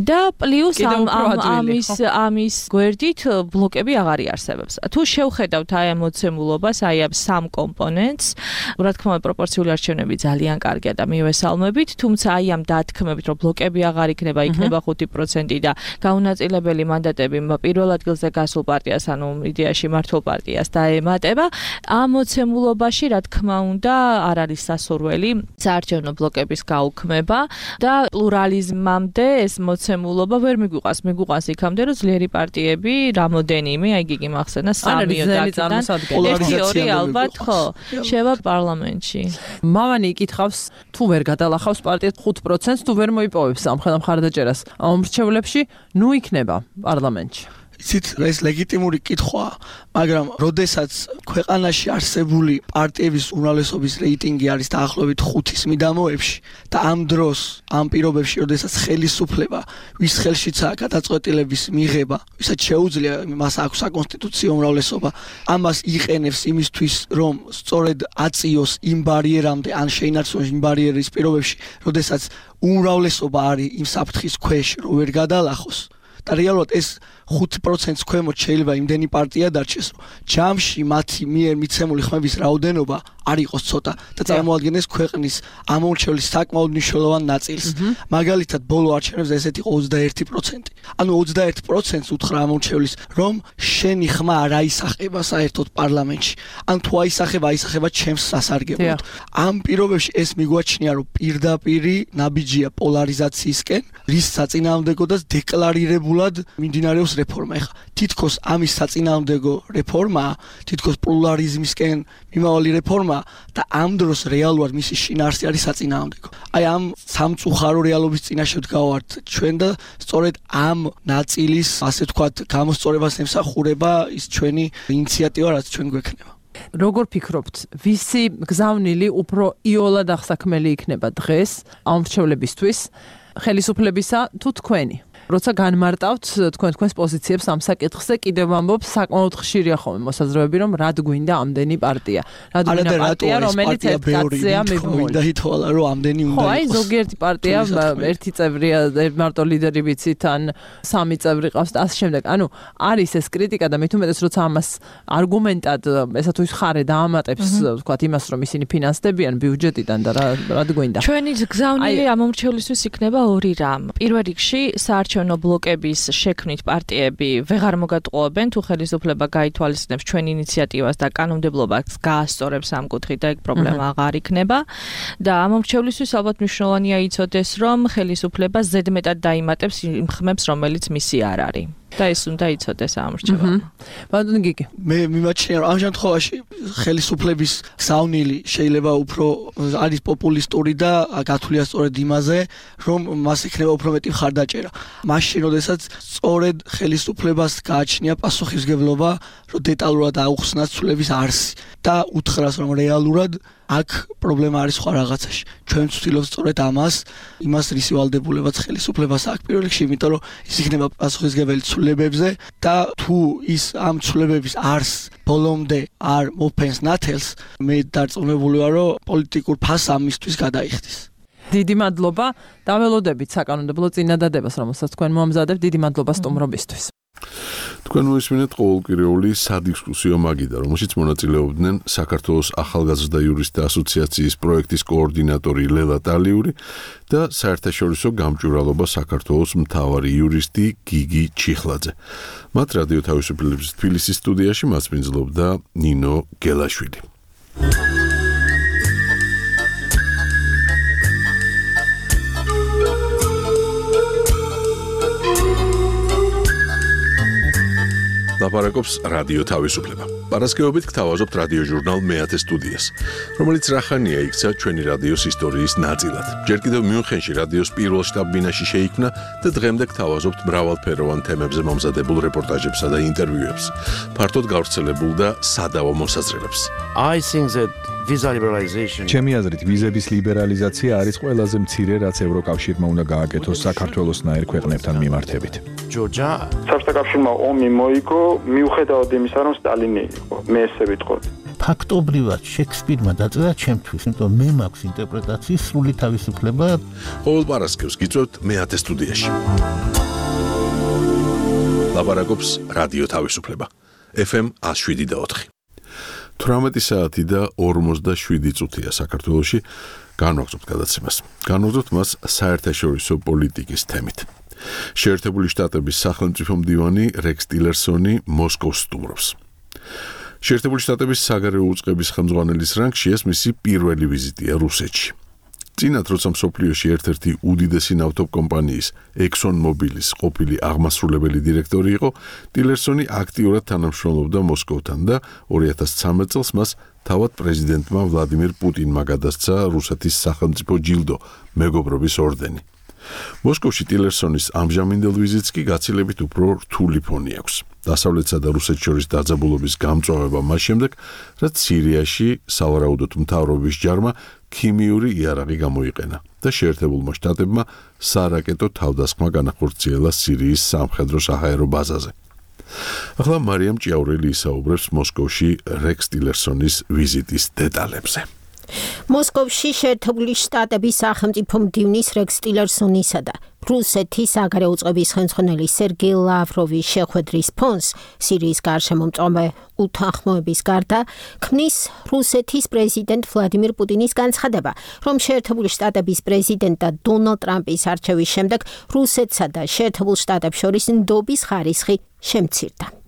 და პლუს ამის გვერდით ბლოკები აღარ იარსებებს. თუ შევხედავთ აი ამ მოცემულობას, აი ამ სამ კომპონენტს, რა თქმა უნდა პროპორციული არჩევნები ძალიან კარგია და მივესალმებით, თუმცა აი ამ დათქმებით, რომ ბლოკები აღარ იქნება 5% და გაუნაწილებელი მანდატები პირველ ადგილზე გასულ პარტიას, ანუ იდეაში მართულ პარტიას დაემატება, ამ მოცემულობაში, რა თქმა უნდა, არ არის სასურველი საარჩევნო ბლოკების გაუქმება და პლურალიზმამდე ეს მოცემულობა ვერ მიგვიყვას იქამდე, რომ ძლიერი პარტიები რამოდენიმე, აი გიგი მახსენა 1-2 ალბათ ხო, შევა პარლამენტში. მამანი იკითხავს, თუ ვერ გადალახავს პარტიას 5%-ს, თუ ვერ მოიპოვებს ამ მხარდაჭერას ამ მრჩევლებში, ნუ იქნება პარლამენტში. იცით, ეს ლეგიტიმური კითხვაა, მაგრამ როდესაც ქვეყანაში არსებული პარტიების უმრავლესობის რეიტინგი არის დაახლოებით 5-ის მიდამოებში და ამ დროს, ამ პირობებში, როდესაც ხელისუფლება, ვის ხელშიცაა გადაწყვეტილების მიღება, ვისაც შეუძლია, მას აქვს საკონსტიტუციო უმრავლესობა, ამას იყენებს იმისთვის, რომ სწორედ აწიოს იმ ბარიერამდე, ან შეინარჩუნოს იმ ბარიერის პირობებში, როდესაც უმრავლესობა არის იმ საფრთხის ქვეშ, რომ ვერ გადალახოს. და რეალურად ეს 5%-ს ქვემოთ შეიძლება იმდენი პარტია დარჩეს, რომ ჯამში მათი მიერ მიცემული ხმების რაოდენობა არ იყოს ცოტა და წარმოადგენდეს ქვეყნის ამორჩევლის საკმაოდ მნიშვნელოვან ნაწილს. მაგალითად, ბოლო არჩევნებზე ესეთ იყო 21%. ანუ 21%-ს უთხრა ამორჩევლის, რომ შენი ხმა არ აისახება საერთოდ პარლამენტში. ან თუ აისახება ჩემს სასარგებლოდ. ამ პირობებში ეს მიგვაჩნია, რომ პირდაპირი ნაბიჯია პოლარიზაციისკენ, რის საწინააღმდეგოდაც დეკლარირებულად მიმდინარეობს რეფორმა. ეხლა თითქოს ამის საწინააღმდეგო რეფორმაა, თითქოს პოლარიზმისკენ მიმავალი რეფორმა და ამ დროს რეალურად მისი შინაარსი არის საწინააღმდეგო. აი ამ სამწუხარო რეალობის წინაშე ვდგავართ ჩვენ და სწორედ ამ ნაწილის, ასე ვთქვათ, გამოსწორებას ემსახურება ის ჩვენი ინიციატივა, რაც ჩვენ გვექნება. როგორ ფიქრობთ, ვისი გზავნილი უფრო იოლად აღსაქმელი იქნება დღეს ამ მრჩევლებისთვის, ხელისუფლებისა თუ თქვენი? როცა განმარტავთ თქვენს პოზიციებს ამ საკითხზე, კიდევ ვამბობ, საკმაოდ ხშირია ხოლმე მოსაზრებები, რომ რად გვინდა ამდენი პარტია. რად გვინდა პარტია, რომელიც ერთ კაცზეა მიბმული. და ითვალა, რომ ამდენი უნდა იყოს. ხო, აი ზოგიერთი პარტია ერთი წევრია, მარტო ლიდერი ვიცით, ან სამი წევრი ყავს და ასე შემდეგ. ანუ არის ეს კრიტიკა და მით უმეტეს როცა ამას არგუმენტად ესა თუ ის ხარე დაამატებს, ვთქვათ, იმას, რომ ისინი ფინანსდებიან ბიუჯეტიდან და რად გვინდა. ჩვენი გზავნილი ამომრჩევლისთვის იქნება ორი რამ. პირველ რიგში საარჩევნო ბლოკების შექმნით პარტიები ვეღარ მოგატყუებენ, თუ ხელისუფლება გაითვალისწინებს ჩვენ ინიციატივას და კანონმდებლობას გაასწორებს ამ კუთხით და ეგ პრობლემა აღარ იქნება. და ამომრჩევლისთვის ალბათ მნიშვნელოვანია იცოდეს, რომ ხელისუფლება ზედმეტად დაიმატებს იმ ხმებს, რომელიც მისი არ არის. და ეს უნდა იცოდეს ამორჩევლობა. ბატონო გიგი, მე მიმაჩნია, რომ ამ შემთხვევაში ხელისუფლების გზავნილი შეიძლება უფრო არის პოპულისტური და გათვლილია სწორედ იმაზე, რომ მას იქნება უფრო მეტი მხარდაჭერა. მაშინ, როდესაც სწორედ ხელისუფლებას გააჩნია პასუხისმგებლობა, რომ დეტალურად აუხსნას ცვლილების არსი და უთხრას, რომ რეალურად აქ პრობლემა არის სხვა რაღაცაში. ჩვენ ვცდილობთ სწორედ იმას რისი ვალდებულებაც ხელისუფლებას აქვს პირველ რიგში, იმიტომ რომ ის იქნება პასუხისმგებელი ცვლილებებზე და თუ ის ამ ცვლილებების არსს ბოლომდე არ მოფენს ნათელს, მე დარწმუნებული ვარ, რომ პოლიტიკურ ფასს ამისთვის გადაიხდის. დიდი მადლობა და ველოდებით საკანონმდებლო წინადადებას, რომელსაც თქვენ მოამზადებთ. დიდი მადლობა სტუმრობისთვის. თქვენ მოისმინეთ ყოველკვირეული სადისკუსიო მაგიდა, რომელშიც მონაწილეობდნენ საქართველოს ახალგაზრდა იურისტთა ასოციაციის პროექტის კოორდინატორი ლელა ტალიური და საერთაშორისო გამჭვირვალობა საქართველოს მთავარი იურისტი გიგი ჩიხლაძე. მათ რადიო თავისუფლების თბილისის სტუდიაში მასპინძლობდა ნინო გელაშვილი. ლაპარაკობს რადიო თავისუფლება. პარასკევობით გთავაზობთ რადიო ჟურნალ მეათე სტუდიას, რომელიც რახანია იქცა ჩვენი რადიოს ისტორიის ნაწილად. ჯერ კიდევ მიუნხენში რადიოს პირველ შტაბ-ბინაში შეიქმნა და დღემდე გთავაზობთ მრავალფეროვან თემებზე მომზადებულ რეპორტაჟებსა და ინტერვიუებს. ფართოდ გავრცელებულ და სადავო მოსაზრებებს. ჩემი აზრით, ვიზების ლიბერალიზაცია არის ყველაზე მცირე, რაც ევროკავშირმა უნდა გააკეთოს საქართველოსნაირ ქვეყნებთან მიმართებით. საბჭოთა კავშირმა ომი მოიგო, მიუხედავად იმისა, რომ სტალინი იყო. მე ესე ვიტყოდი. ფაქტობრივად შექსპირმა დაწერა ჩემთვის, იმიტომ მე მაქვს ინტერპრეტაციის სრული თავისუფლება. ყოველ პარასკევს გიწევთ მეათე სტუდიაში. ლაპარაკობს რადიო თავისუფლება. FM 107.4. 18 საათი და 47 წუთია საქართველოში. განვაგრძობთ გადაცემას. განვაგრძობთ მას საერთაშორისო პოლიტიკის თემით. შეერთებული შტატების სახელმწიფო მდივანი რექს ტილერსონი მოსკოვს სტუმრობს. შეერთებული შტატების საგარეო უწყების ხელმძღვანელის რანგში ეს მისი პირველი ვიზიტია რუსეთში. წინათ, როცა მსოფლიოში ერთ-ერთი უდიდესი ნავთობკომპანიის ExxonMobilis ყოფილი აღმასრულებელი დირექტორი იყო, ტილერსონი აქტიურად თანამშრომლობდა მოსკოვთან და 2013 წელს მას თავად პრეზიდენტმა ვლადიმირ პუტინმა გადასცა რუსეთის სახელმწიფო ჯილდო, მეგობრობის ორდენი. მოსკოვში ტილერსონის ამჟამინდელ ვიზიტს კი გაცილებით უფრო რთული ფონი აქვს. დასავლეთსა და რუსეთს შორის დაძაბულობის გამწვავება მას შემდეგ, რაც სირიაში სავარაუდოდ მთავრობის ჯარმა ქიმიური იარაღი გამოიყენა და შეერთებულმა შტატებმა სარაკეტო თავდასხმა განახორციელა სირიის სამხედრო-საჰაერო ბაზაზე. ახლა მარიამ ჭიაურელი ისაუბრებს მოსკოვში რექს ტილერსონის ვიზიტის დეტალებზე. მოსკოვში შეერთებული შტატების სახელმწიფო მდივნის რექს ტილერსონისა და რუსეთის საგარეო უწყების ხელმძღვანელი სერგეი ლავროვის შეხვედრის ფონს სირიის გარშემომწვავე უთანხმოების გარდა ქმნის რუსეთის პრეზიდენტ ვლადიმირ პუტინის განცხადება, რომ შეერთებული შტატების პრეზიდენტ დონალდ ტრამპის არჩევის შემდეგ რუსეთსა და შეერთებულ შტატებს შორის ნდობის ხარისხი შემცირდა.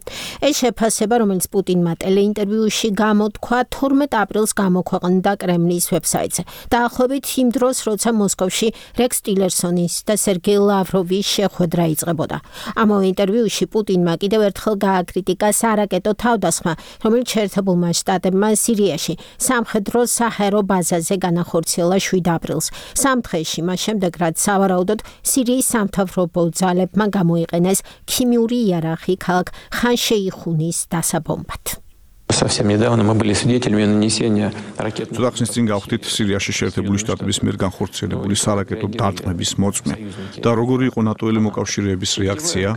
ეს შეფასება, რომელიც პუტინმა ტელეინტერვიუში გამოთქვა 12 აპრილს გამოქვეყნდა კრემლის ვებსაიტზე. დაახლოებით იმ დროს, როცა მოსკოვში რექს ტილერსონის და სერგეი ლავროვის შეხვედრა იწყებოდა. ამავე ინტერვიუში პუტინმა კიდევ ერთხელ გააკრიტიკა სარაკეტო თავდასხმა, რომელიც შეერთებულმა შტატებმა სირიაში სამხედრო საჰაერო ბაზაზე განახორციელა 7 აპრილს. 3 დღეში მას შემდეგ, რაც სავარაუდოდ სირიის სამთავრობო ძალებმა გამოიყენეს ქიმიური იარაღი ქალაქ შეიხუნის დასაბომბად. Совсем недавно мы были свидетелями нанесения ракетных Წუთახნის წინ გავხდით სირიაში შეერთებული შტატების მიერ განხორციელებული სარაკეტო დარტყმების მოწმე და როგორი იყო ნატოელი მოკავშირეების რეაქცია,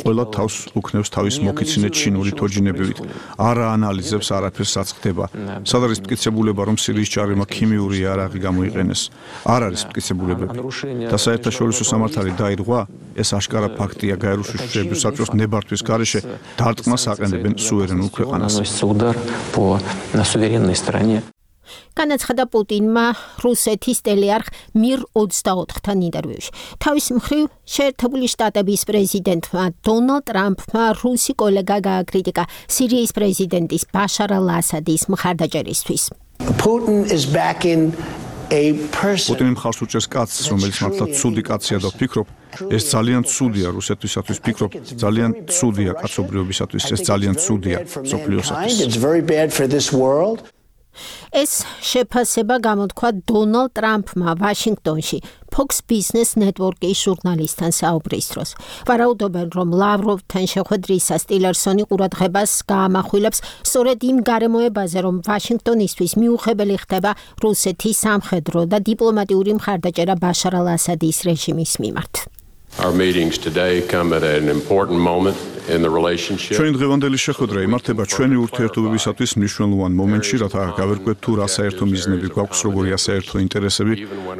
ყველა თავს უქნევს თავის მოკიცინე ჩინური თოჯინებივით, არა ანალიზებს არაფერს რაც ხდება. სად არის მტკიცებულება, რომ სირიის ჯარებმა ქიმიური იარაღი გამოიყენეს? არ არის მტკიცებულებები. და საერთაშორისო სამართალი დაირღვა, ეს აშკარა ფაქტია გაეროს საბჭოს ნებართვის გარეშე დარტყმას აყენებენ სუვერენულ ქვეყანას. удар по суверенной стороне. განაცხადა პუტინმა რუსეთის ტელეარხ მիր 24-თან ინტერვიუში. თავის მხრივ შეერთებული შტატების პრეზიდენტმა დონალდ ტრამპმა რუსი კოლეგა გააკრიტიკა სირიის პრეზიდენტის ბაშარ ალ-ასადის მხარდაჭერისთვის. პუტინი მხარს უჭერს კაცს, რომელიც მართლა ცუდი კაცია და ვფიქრობ, ეს ძალიან ცუდია რუსეთისათვის, ვფიქრობ, ძალიან ცუდია კაცობრიობისათვის, ეს ძალიან ცუდია სოფლიოსათვის. ეს შეფასება გამოთქვა დონალდ ტრამპმა ვაშინგტონში Fox Business Network-ის ჟურნალისტთან საუბრის დროს. ვარაუდობენ, რომ ლავროვთან შეხვედრისას ტილერსონი ყურადღებას გაამახვილებს სწორედ იმ გარემოებაზე, რომ ვაშინგტონისთვის მიუღებელი ხდება რუსეთის სამხედრო და დიპლომატიური მხარდაჭერა ბაშარ ალ-ასადის რეჟიმის მიმართ. Our meetings today come at an important moment in the relationship. ჩვენი დღევანდელი შეხვედრა იმართება ჩვენი ურთიერთობებისათვის მნიშვნელოვან მომენტში, რათა გავერკვეთ თუ რა საერთო მიზნები გვაქვს, როგორია საერთო ინტერესები,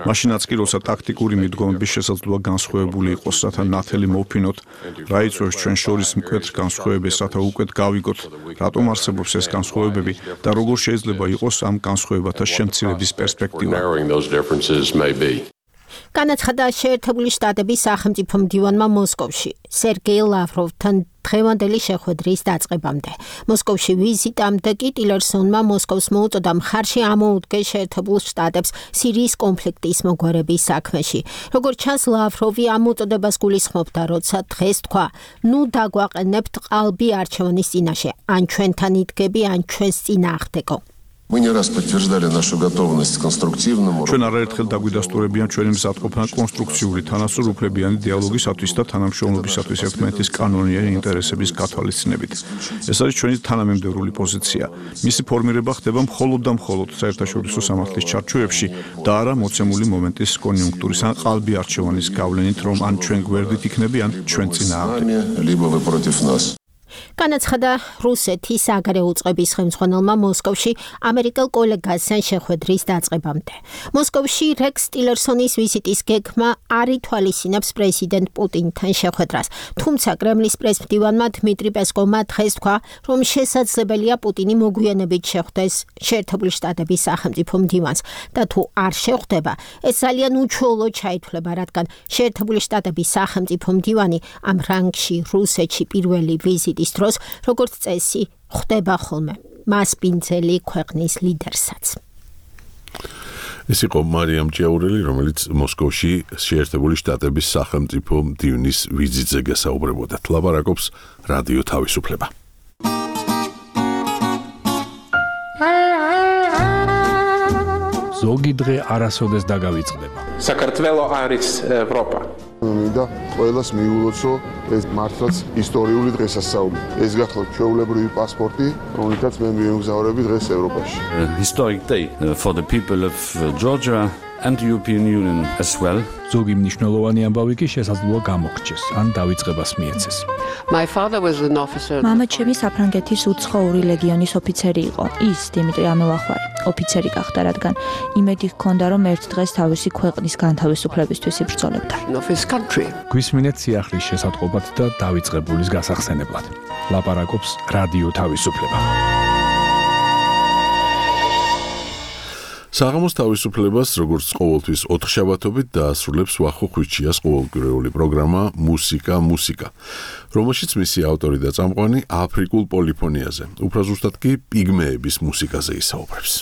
მაშინაც კი როცა ტაქტიკური მიდგომების შესაძლებლობა განსხვავებული იყოს, რათა ნათელი მოვფინოთ, რა იწვევს ჩვენ შორის მკვეთრ განსხვავებებს, რათა უკვე გავიგოთ, რატომ არსებობს ეს განსხვავებები და როგორ შეიძლება იყოს ამ განსხვავებათა შემცირების პერსპექტივა. განაცხადა შეერთებული შტატების სახელმწიფო მდივანმა მოსკოვში სერგეი ლავროვთან დღევანდელი შეხვედრის დაწყებამდე. მოსკოვში ვიზიტამდე კი ტილერსონმა მოსკოვს მოუწოდა მხარში ამოუდგეს შეერთებულ შტატებს სირიის კონფლიქტის მოგვარების საქმეში. როგორც ჩანს, ლავროვი ამ მოწოდებას გულისხმობდა, როცა დღეს თქვა, ნუ დაგვაყენებთ ყალბი არჩევანის წინაშე, ან ჩვენთან იდგები, ან ჩვენს წინააღმდეგო. Мы не раз подтверждали нашу готовность к конструктивному. ჩვენ არაერთხელ დაგვიდასტურებიან ჩვენი მზადყოფნა კონსტრუქციული თანასწორუფლებიანი დიალოგისათვის და თანამშრომლობისათვის ერთმანეთის კანონიერი ინტერესების გათვალისწინებით. ეს არის ჩვენი თანამემდევრული პოზიცია. მისი ფორმირება ხდება მხოლოდ და მხოლოდ საერთაშორისო სამართლის ჩარჩოებში და არა მოცემული მომენტის კონიუნქტურის ან ყალბი არჩევანის გავლენით, რომ ან ჩვენ გვერდით იქნები, ან ჩვენ წინააღმდეგ. განაცხადა რუსეთის საგარეო უწყების ხელმძღვანელმა მოსკოვში ამერიკელ კოლეგასთან შეხვედრის დაწყებამდე. მოსკოვში რექს ტილერსონის ვიზიტის გეგმა არ ითვალისწინებს პრეზიდენტ პუტინთან შეხვედრას. თუმცა კრემლის პრესმდივანმა დმიტრი პესკოვმა დღეს თქვა, რომ შესაძლებელია პუტინი მოგვიანებით შეხვდეს შეერთებული შტატების სახელმწიფო მდივანს და თუ არ შეხვდება, ეს ძალიან უჩვეულოდ ჩაითვლება, რადგან შეერთებული შტატების სახელმწიფო მდივანი ამ რანგში რუსეთში პირველი ვიზიტის დროს როგორც წესი ხდება ხოლმე მასპინძელი ქვეყნის ლიდერსაც. ეს იყო მარიამ ჭიაურელი, რომელიც მოსკოვში შეერთებული შტატების სახელმწიფო მდივნის ვიზიტზე გესაუბრებოდა. ლაპარაკობს რადიო თავისუფლება. ზოგი დღე არასოდეს დაგავიწყდება. საქართველო არის ევროპა. მინდა ყველას მიულოცო ეს მართლაც ისტორიული დღესასწაული. ეს გახლავთ ჩვეულებრივი პასპორტი, რომელთაც მე მიემგზავრები დღეს ევროპაში. Historic day for the people of Georgia and the European Union as well. ზოგი მნიშვნელოვანი ამბავი კი შესაძლოა გამოგრჩეს ან დავიწყებას მიეცეს. მამა ჩემი საფრანგეთის უცხოური ლეგიონის ოფიცერი იყო. ის დიმიტრი ამელახვარი ოფიცერი გახდა, რადგან იმედი ჰქონდა, რომ ერთ დღეს თავისი ქვეყნის განთავისუფლებისთვის იბრძოლებდა. გვისმინეთ სიახლის შესატყობად და დავიწყებულის გასახსენებლად. ლაპარაკობს რადიო თავისუფლება. საღამოს თავისუფლებას, როგორც ყოველთვის 4 შაბათობით დაასრულებს ვახო ხვიჩიას ყოველკვირეული პროგრამა მუსიკა, რომელშიც მისი ავტორი და წამყვანი აფრიკულ პოლიფონიაზე, უფრო ზუსტად კი პიგმეების მუსიკაზე ისაუბრებს.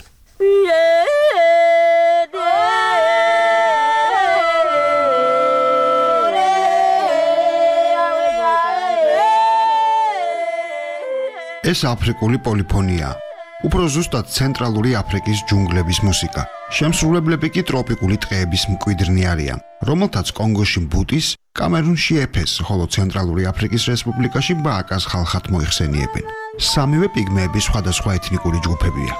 ეს აფრიკული პოლიფონია. უფრო ზუსტად ცენტრალური აფრიკის ჯუნგლების მუსიკა. შემსრულებლები კი ტროპიკული ტყეების მკვიდრნი არიან, რომელთაც კონგოში ბუტის, კამერუნში ეფეს, ხოლო ცენტრალური აფრიკის რესპუბლიკაში ბააკას ხალხად მოიხსენიებენ. სამივე პიგმეები სხვადასხვა ეთნიკური ჯგუფებია.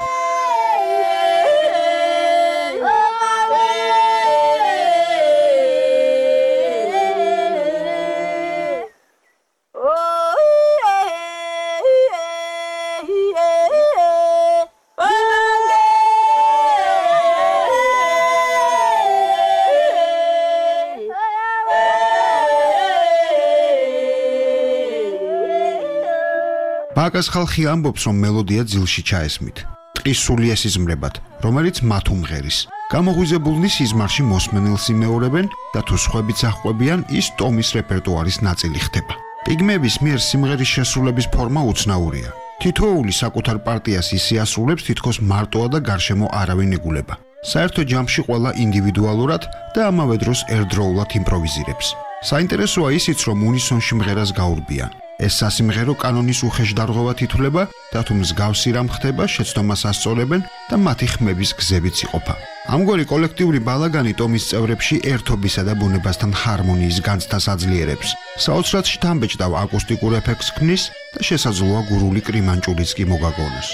ბააკას ხალხი ამბობს, რომ მელოდია ძილში ჩაესმით. ტყის სული ესიზმრებათ, რომელიც მათ უმღერის. გამოღვიძებულნი სიზმარში მოსმენელს იმეორებენ და თუ სხვებიც აღყვებიან, ის ტომის რეპერტუარის ნაწილი ხდება. პიგმეების მიერ სიმღერის შესრულების ფორმა უცნაურია. თითოეული საკუთარ პარტიას ისიასრულებს თითქოს მარტოა და გარშემო არავინ ეგულება. საერთო ჯამში ყველა ინდივიდუალურად და ამავე დროს ერთდროულად იმპროვიზირებს. საინტერესოა ისიც, რომ უნისონში მღერას გაურბიან. ეს სასიმღერო კანონის უხეშდარღობად ითვლება და თუ მსგავსი რამ ხდება, შეცდომას ასწორებენ და მათი ხმების გზებიც იყოფა. ამგვარი კოლექტიური ბალაგანი ტომის წევრებში ერთობისა და ბუნებასთან ჰარმონიის განცდას აძლიერებს. საოცრად შთამბეჭდავ აკუსტიკურ ეფექტს ქმნის და შესაძლოა გურული კრიმანჭულიც კი მოგაგონოს.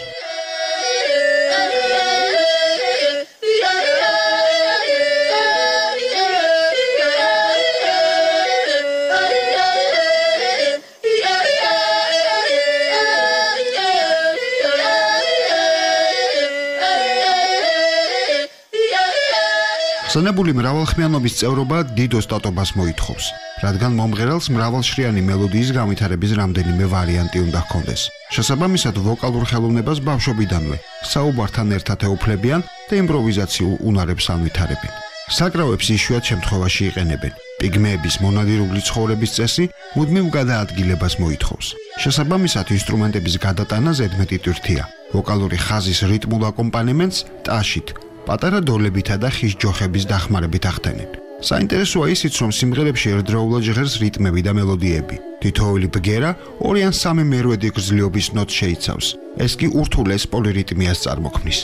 ხსენებული მრავალხმიანობის წევრობა დიდ ოსტატობას მოითხოვს, რადგან მომღერალს მრავალშრიანი მელოდიის განვითარების რამდენიმე ვარიანტი უნდა ჰქონდეს. შესაბამისად, ვოკალურ ხელოვნებას ბავშვობიდანვე საუბართან ერთად ეუფლებიან და იმპროვიზაციულ უნარებს ანვითარებენ. საკრავებს იშვიათ შემთხვევაში იყენებენ. პიგმეების მონადირული ცხოვრების წესი მუდმივ გადაადგილებას მოითხოვს. შესაბამისად, ინსტრუმენტების გადატანა ზედმეტი ტვირთია. ვოკალური ხაზის რიტმულ აკომპანემენტს ტაშით, პატარა დოლებითა და ხის ჯოხების დახმარებით ახდენენ. საინტერესოა ისიც, რომ სიმღერებში ერთდროულად ჟღერს რიტმები და მელოდიები. თითოეული ბგერა 2 ან 3 მერვედი გრძლიობის ნოტს შეიცავს. ეს კი ურთულეს პოლირიტმიას წარმოქმნის.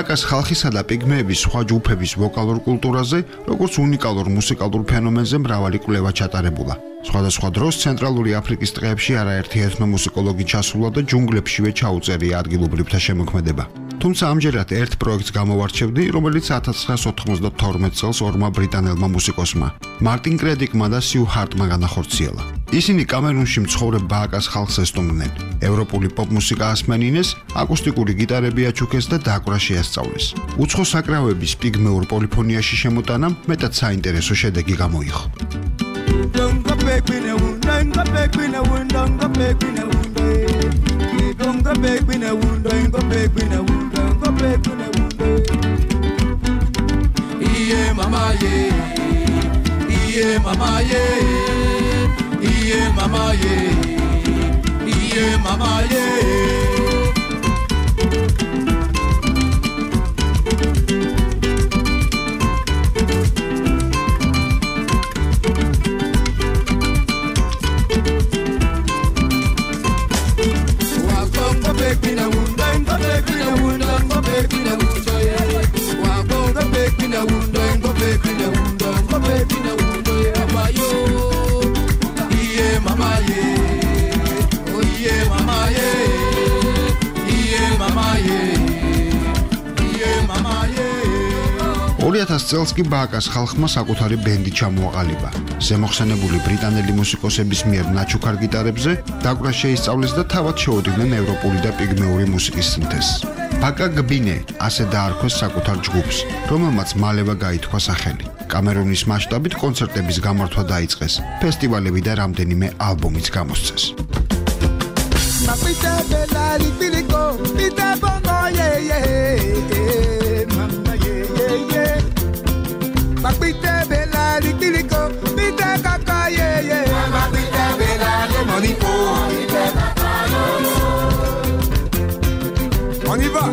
ბააკას ხალხისა და პიგმეების სხვა ჯგუფების ვოკალურ კულტურაზე, როგორც უნიკალურ მუსიკალურ ფენომენზე მრავალი კვლევა ჩატარებულა. სხვადასხვა დროს ცენტრალური აფრიკის ტყეებში არაერთი ეთნომუსიკოლოგი ჩასულა და ჯუნგლებშივე ჩაუწერია ადგილობრივთა შემოქმედება. თუმცა ამჯერად ერთ პროექტს გამოვარჩევდი, რომელიც 1992 წელს ორმა ბრიტანელმა მუსიკოსმა, მარტინ კრედიკმა და სიუ ჰარტმა განახორციელა. ისინი კამერუნში მცხოვრებ ბააკას ხალხს ესტუმრნენ. ევროპული პოპ-მუსიკა ასმენინეს, აკუსტიკური გიტარები აჩუქეს და დაკვრა შეასწავლეს. უცხო საკრავების პიგმეურ პოლიფონიაში შემოტანამ მეტად საინტერესო შედეგი გამოიღო. 2000 წელს კი ბააკას ხალხმა საკუთარი ბენდი ჩამოაყალიბა. ზემოხსენებული ბრიტანელი მუსიკოსების მიერ ნაჩუქარ გიტარებზე დაკვრა შეისწავლეს და თავად შეუდგნენ ევროპული და პიგმეური მუსიკის სინთეზს. ბაკა გბინე ასე დაარქვეს საკუთარ ჯგუფს, რომელმაც მალევე გაითქვა სახელი. კამერუნის მასშტაბით კონცერტების გამართვა დაიწყეს, ფესტივალები და რამდენიმე ალბომიც გამოსცეს. On y va.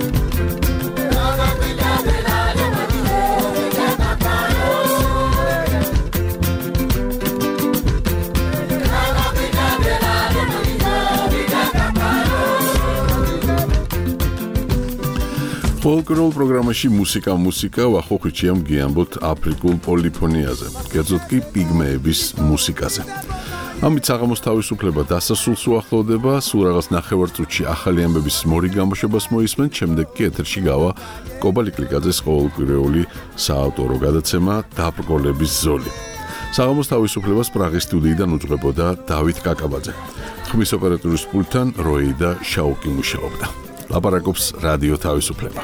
Folklore პროგრამაში მუსიკა ვახოხიჩიამ გიამბოთ აფრიკულ პოლიფონიაზე, კერძოდ კი პიგმეების მუსიკაზე. ამით საღამოს თავისუფლება დასასრულს უახლოვდება, სულ რაღაც ნახევარწუთში ახალი ამბების მორი გამოშვებას მოისმენთ, შემდეგ კი ეთერში გავა კობა ლიკლიკაძეს ყოველკვირეული საავტორო გადაცემა დაბრკოლების ზოლი. საღამოს თავისუფლებას პრაღის სტუდიიდან უძღვებოდა დავით კაკაბაძე. ხმის ოპერატორის პულტთან როი და შაუკი მუშაობდა. ლაპარაკობს რადიო თავისუფლება.